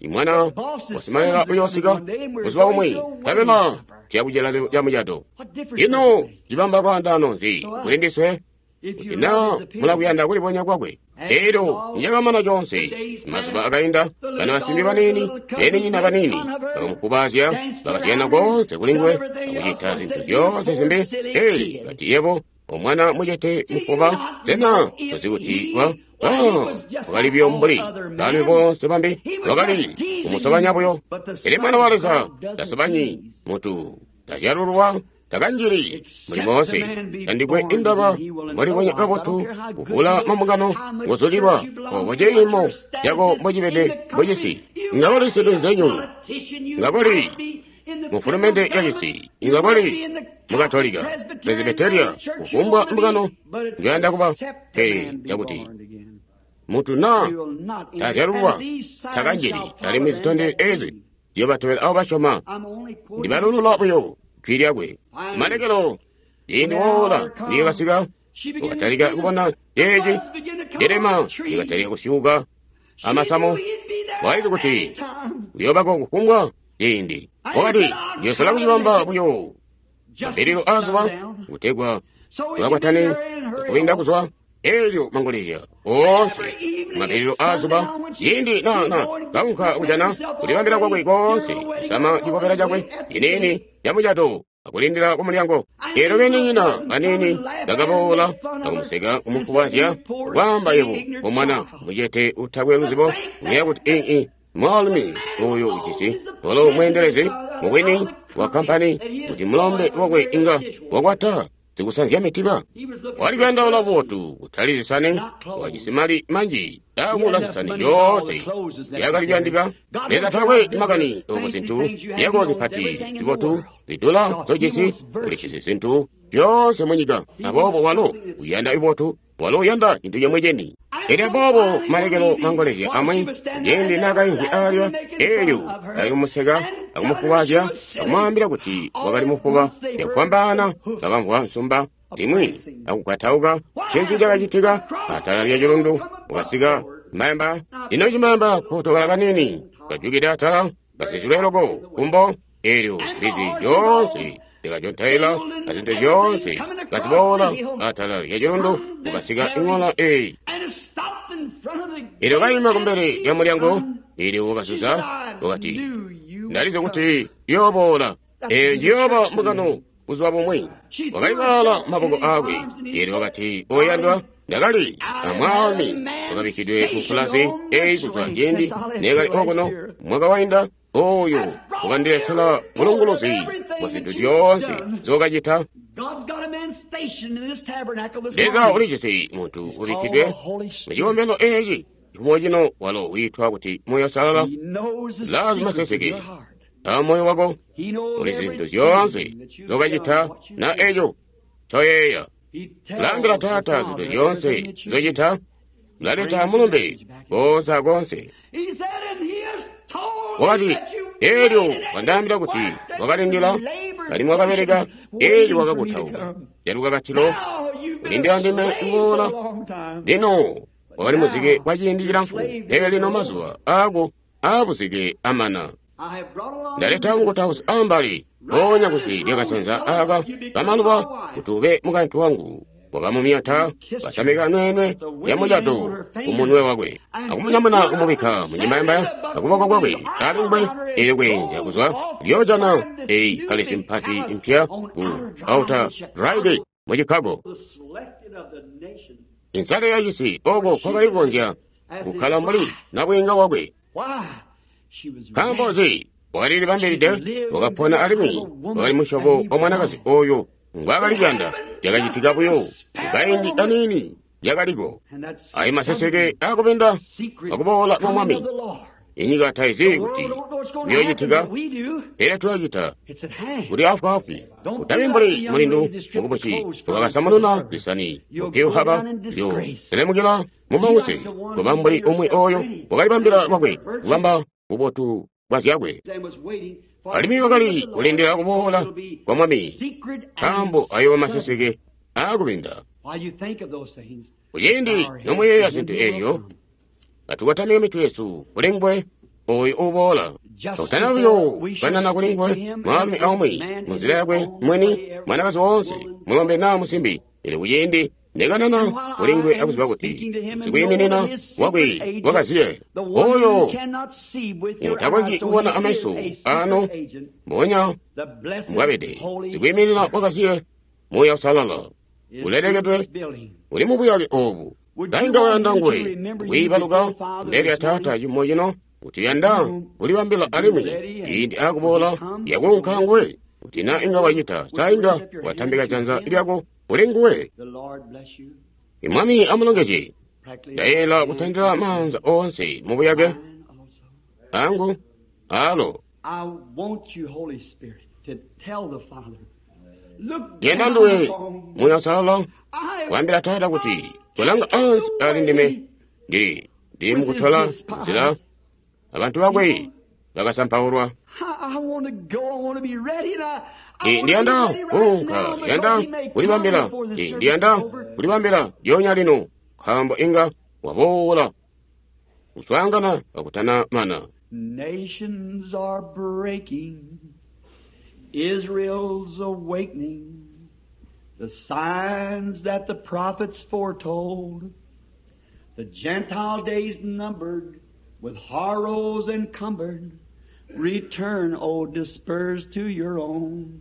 Imwana wasimalela uyoosika buzuba bumwi, nkabela tuyakucela ca mucado. Ino cibamba lwaandaano nzi kuli ndiswe kuti na mulakuyanda kulibonya kwakwe? Elyo nicakamana coonse, mazuba akainda, bana basimbi baniini beninyina baniini bakamukubaazya, bakasiyana koonse kuli nguwe akucita zintu zyoonse zimbi. Ei, kati yebo omwana mucete mufuba, sena tozi kuti wa wakali buyo mbuli baalumi boonse bambi, wakali kumusobanya buyo. Pele mwana wa Leza tasobanyi muntu, tazyalulwa, takanjili muli moonse, tandikwe indaba mbolibonya kabotu kuvula mambungano ngozulilwa obo ciimo cako mbocibede mbocisi. Ngakoli sintu nzenyu, ngakoli mufulumende yacisi, ngakoli mukatolika, presbiteria, kufumbwa mbungano njoyanda kuba. Pele cakuti muntu na tazyalulwa takanjili, alimwi zitondezyo ezi ziyobatobela abo basyoma. Ndibalulula buyo jwi lyakwe. Malekelo ciindi woola niyakasika, wakatalika kubona ceeci delema likatalika kusyuuka amasamu. Walizi kuti uyoobako kufumbwa ciindi. Wakati ndiyosola kucibamba buyo mabbililo aazuba kutegwa tukakwatane kubinda kuzwa elyo mangolezya oonse mabbililo aazuba. Ciindi na na kaunka kujana kulibambila kwakwe koonse, kusama cikobela cakwe ciniini ca mucado akulindila kumulyango. Elyo beninyina baniini bakaboola akumuseka kumufubazya, kwaamba yebo omwana mucete utakwe luzibo, uyeeya kuti ii mwaalumi oyo ujisi walo mweendelezi mubwini wa kampani kuti mulombe wakwe inga wakwata zikusanzya mitiba. Wali kuyandaula bubotu kutali zisani, wajisi mali manji akula zisani zyoonse yakali kuyandika. Leza takwe makani obo zintu yako zipati zibotu zidula zojisi, ulijisi zintu zyoonse munyika. Aboobo walo uyanda ibotu, walo uyanda cintu cimwi ceni. Elyo aboobo malekelo mangolezya amwi ciindi naakaimvwi alya, elyo akumumuseka akumufubazya akumwaambila kuti wakali mufuba. Cakufwambaana bakamvwa nsumba zimwi akugwatauka. Ncinzi cakacitika? Atala lya cilundu wakasika mayamba. Lino cimayamba kotokala kanini kajukide atala kasizilwe loko kumbo. Elyo mbizi zyoonse zikajontaila azintu zyoonse kaziboola atala lya cilundu kukasika iŋola eyi. Elyo kaima kumbele lya mulyango, elyo wakasusa wakati, ndalizi kuti yooboola. Eyo njiyooba mbungano buzuba bumwi. Wakalibaala maboko aakwe. Elyo wakati, oyandwa, ndakali amwaalumi wakabikkidwe mu pulasi eyi kuzwa ciindi neekali okuno mwaka wainda, oyo wakandiletela bulunguluzi bwa zintu zyoonse zokacita. Leza ulijisi muntu ubikkidwe mu cikombelo eeci cifumo cino, walo wiitwa kuti Moyo Salala. Lazima seseke a moyo wako uli zintu zyoonse zokacita na eco ncoyeeya. Laambila Taata zintu zyoonse zocita, laleta mulumbe koonse akoonse. Wakati, Elyo wandaambila kuti wakalindila alimwi wakabeleka, elyo wakakutauka calukakatilo kulindila ndime kuboola. Lino wakali muzike kwa ciindi cilamfu, pele lino mazuba aako aabuzike amana. Ndaleta mukutausi ambali mpoonya kusi lyakasenza aaka kamaluba kuti ube mukaintu wangu. Wakamumyata, wasamika nweenwe yamucato kumunwe wakwe, akumunyamuna kumubikka mucimbayambaya akuboko kwakwe alingwe. Elyo kweenzya kuzwa kuyoojana eyi palesi mpati mpya ku Outer Driveway mu Chicago, insale yacisi oko kwakali kukonzya kukkala mbuli nabwiinga wakwe. Nkaambo nzi? Wakalilibambilide, wakapona alimwi wakali musyobo wa mwanakazi oyo ngwaakali kuyanda. Cakacitika buyo kukaindi kaniini cakaliko. Ayi maseseke akubinda akuboola kwa Mwami. Inyika taizi kuti kuyoocitika, pele tulacita kuti afwaafwi. Kutabi mbuli mulindu mukubusi wakasamununa lisani mupyuhaba lyo selemukila mumause, kuba mbuli umwi oyo wakalibambila lwakwe kubamba bubotu bwa zyakwe. Alimwi wakali kulindila kuboola kwa Mwami, nkaambo ayoba maseseke aakubinda. Kuciindi nomuyeeya zintu ezyo, katukotamike mitwe yesu kuli nguwe oyo uboola. Kakutana buyo kukanana kuli nguwe mwaalumi aumwi munzila yakwe mwini, mwanakazi woonse, mulombe naa musimbi. Pele kuciindi nekanana kuli nguwe akuziba kuti sikwiiminina wakwe wakaziye oyo utakonzyi kubona ameso ano mbonya mbwabede, sikwiiminina wakaziye Muuya Uusalala ulelekedwe uli mubuyake obu. Kainga wayanda nguwe kwiibaluka mbele ya Taata cimo cino kuti yanda kulibambila alimwi ciindi akuboola yakuunka nguwe, kuti na inga wacita sa inga watambika janza lyako kuli nguwe. Imwami amulongezye. Ndayela kutandila maanza oonse mubuyake angu alo. Yenda nduwe Muuya Uusalala kuambila Taata kuti kulanga ansi ali ndime, ndili ndili mukutola nzila abantu bakwe bakasampaulwa. Ndiyanda kuunka, ndiyanda kulibambila, ndiyanda kulibambila lyonya lino, nkaambo inga waboola kuswaangana kakutana mana. Nations are breaking, Israel's awakening, the signs that the prophets foretold, the Gentile days numbered, with horrors encumbered, return, O dispersed to your own.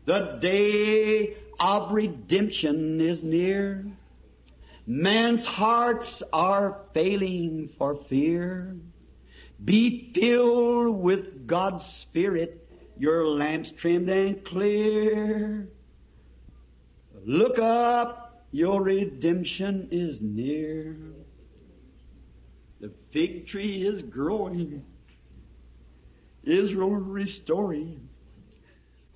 The day of redemption is near. Man's hearts are failing for fear. Be filled with God's Spirit, your lamps trimmed and clear. Look up, your redemption is near. The fig tree is growing, Israel restoring.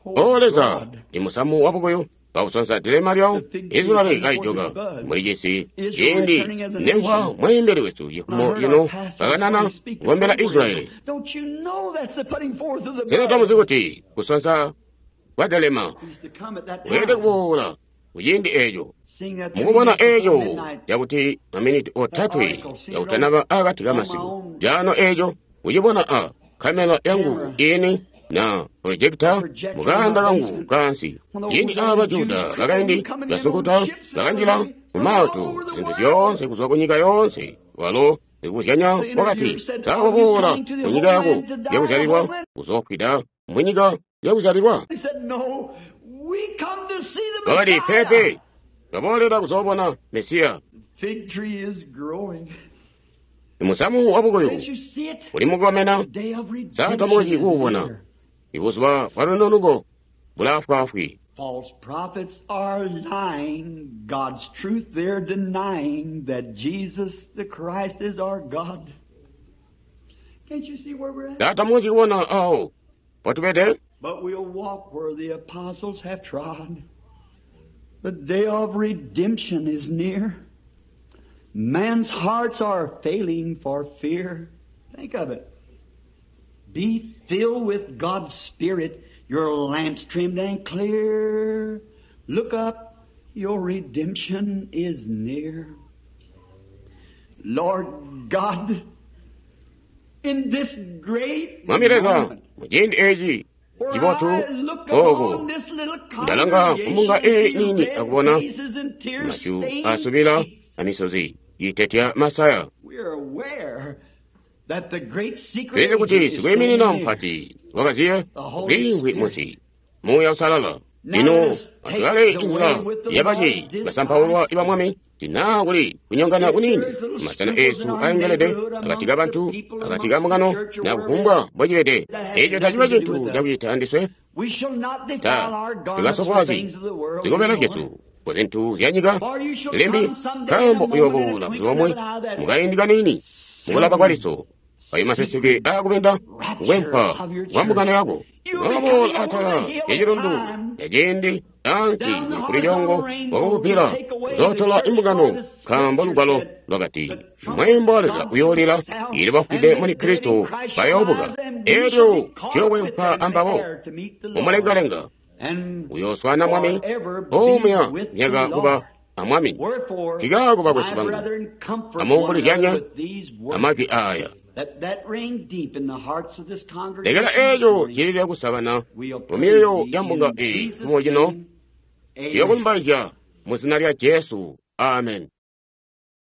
O Leza, imusamu wabukuyu kausonsa dilema lyawo Israeli kaijoka muli cisi ciindi nemva mweembeli wesu yikumo ino kakanana kukombela Israeli. Sena tamuzi kuti kusonsa kwa dilema kuyelede kuboola kuciindi eeco. Mukubona eeco cakuti maminiti otatwe yakutanaba akati kamasiku jano eeco kucibona a kamera yangu ini na projekta mukanda kangu kansi. Ciindi aba Juda bakaindi basunkuta bakanjila mumaato zinthu zyoonse kuzwa kunyika yoonse, walo sikuzyanya wakati sakuboola kunyika yako yakuzyalilwa kuzoofwida munyika yakuzyalilwa. Wakati pepe twaboolera kuzoobona Mesiya. Imusamu wabukuyu uli mukomena, sa tamukonzyi kuubona. Ibuzuba bwa lununuko bulaafwaafwi. False prophets are lying, God's truth they're denying, that Jesus the Christ is our God. Can't you see where we're at? Sa tamukonzyi kubona awo potubede. But we'll walk where the apostles have trod. The day of redemption is near. Man's hearts are failing for fear. Think of it. Be filled with God's Spirit, your lamps trimmed and clear. Look up, your redemption is near. Lord God, in this great Mwami Leza moment, muciindi eci where cibotu I look oku upon this little ndalanga kumbunga congregation eyi and see nini red akubona faces and tear masyu stained asubila cheeks. amisozi itetya masaya We are aware that the great secret tulizi kuti agent is sikwiiminina standing near. mpati wakaziye The Holy uliimvwi Spirit. munsi Muuya Usalala Now lino let us take atulale the inzila way with the yabaci Lord's basampaulwa disguise. iba mwami tina kuli kunyongana If kunini there's little masana scruples in esu our aengelede neighborhood akati amongst ka the bantu people, akati ka amongst the mbungano church, or na wherever kufumbwa mbocibede that has eco taciba nothing to do cintu with us. cakucita andiswe We shall not defile ta our garments with tikasofwazi things of the world zikobela anymore. zyesu ku zintu zya nyika For you shall limbi come someday in a nkambo moment in a uyooboola buzuba twinkling of bumwe an eye that mukaindi kanini mukulaba kwa liso ayo maseseke secret akupenda rapture kukwempa of your kwa mbungano church. yako You'll be uyooboola coming over atala the hill ya of chilundu time, ya ciindi ansi down the kuli horizontal lyongo rainbow to wakukupila take away the uzotola church. For imbungano the nkambo scripture lugwalo said, lwakati the trumpet mwembo wa Leza God shall uyoolila sound, ili and bafwide the muli dead in Kristo Christ shall bayoobuka rise, and we shall elyo be caught up with tuyokwempa them in the ambabo air to meet the Lord, mumulengalenga and uyoswana mwami forever be omuya with the myaka kuba Lord. amwami Wherefore, kikaako bakwesu my bangu brethren, comfort one another amuumbulizyanya with these words. amajwi aya Let that ring deep in the hearts of this lekela congregation this eco morning. cilile kusabana We'll mu praise myoyo thee ya mbunga in eyi Jesus' kumo cino name. Amen. tuyokulumbaizya mu zina lya Jesu amen.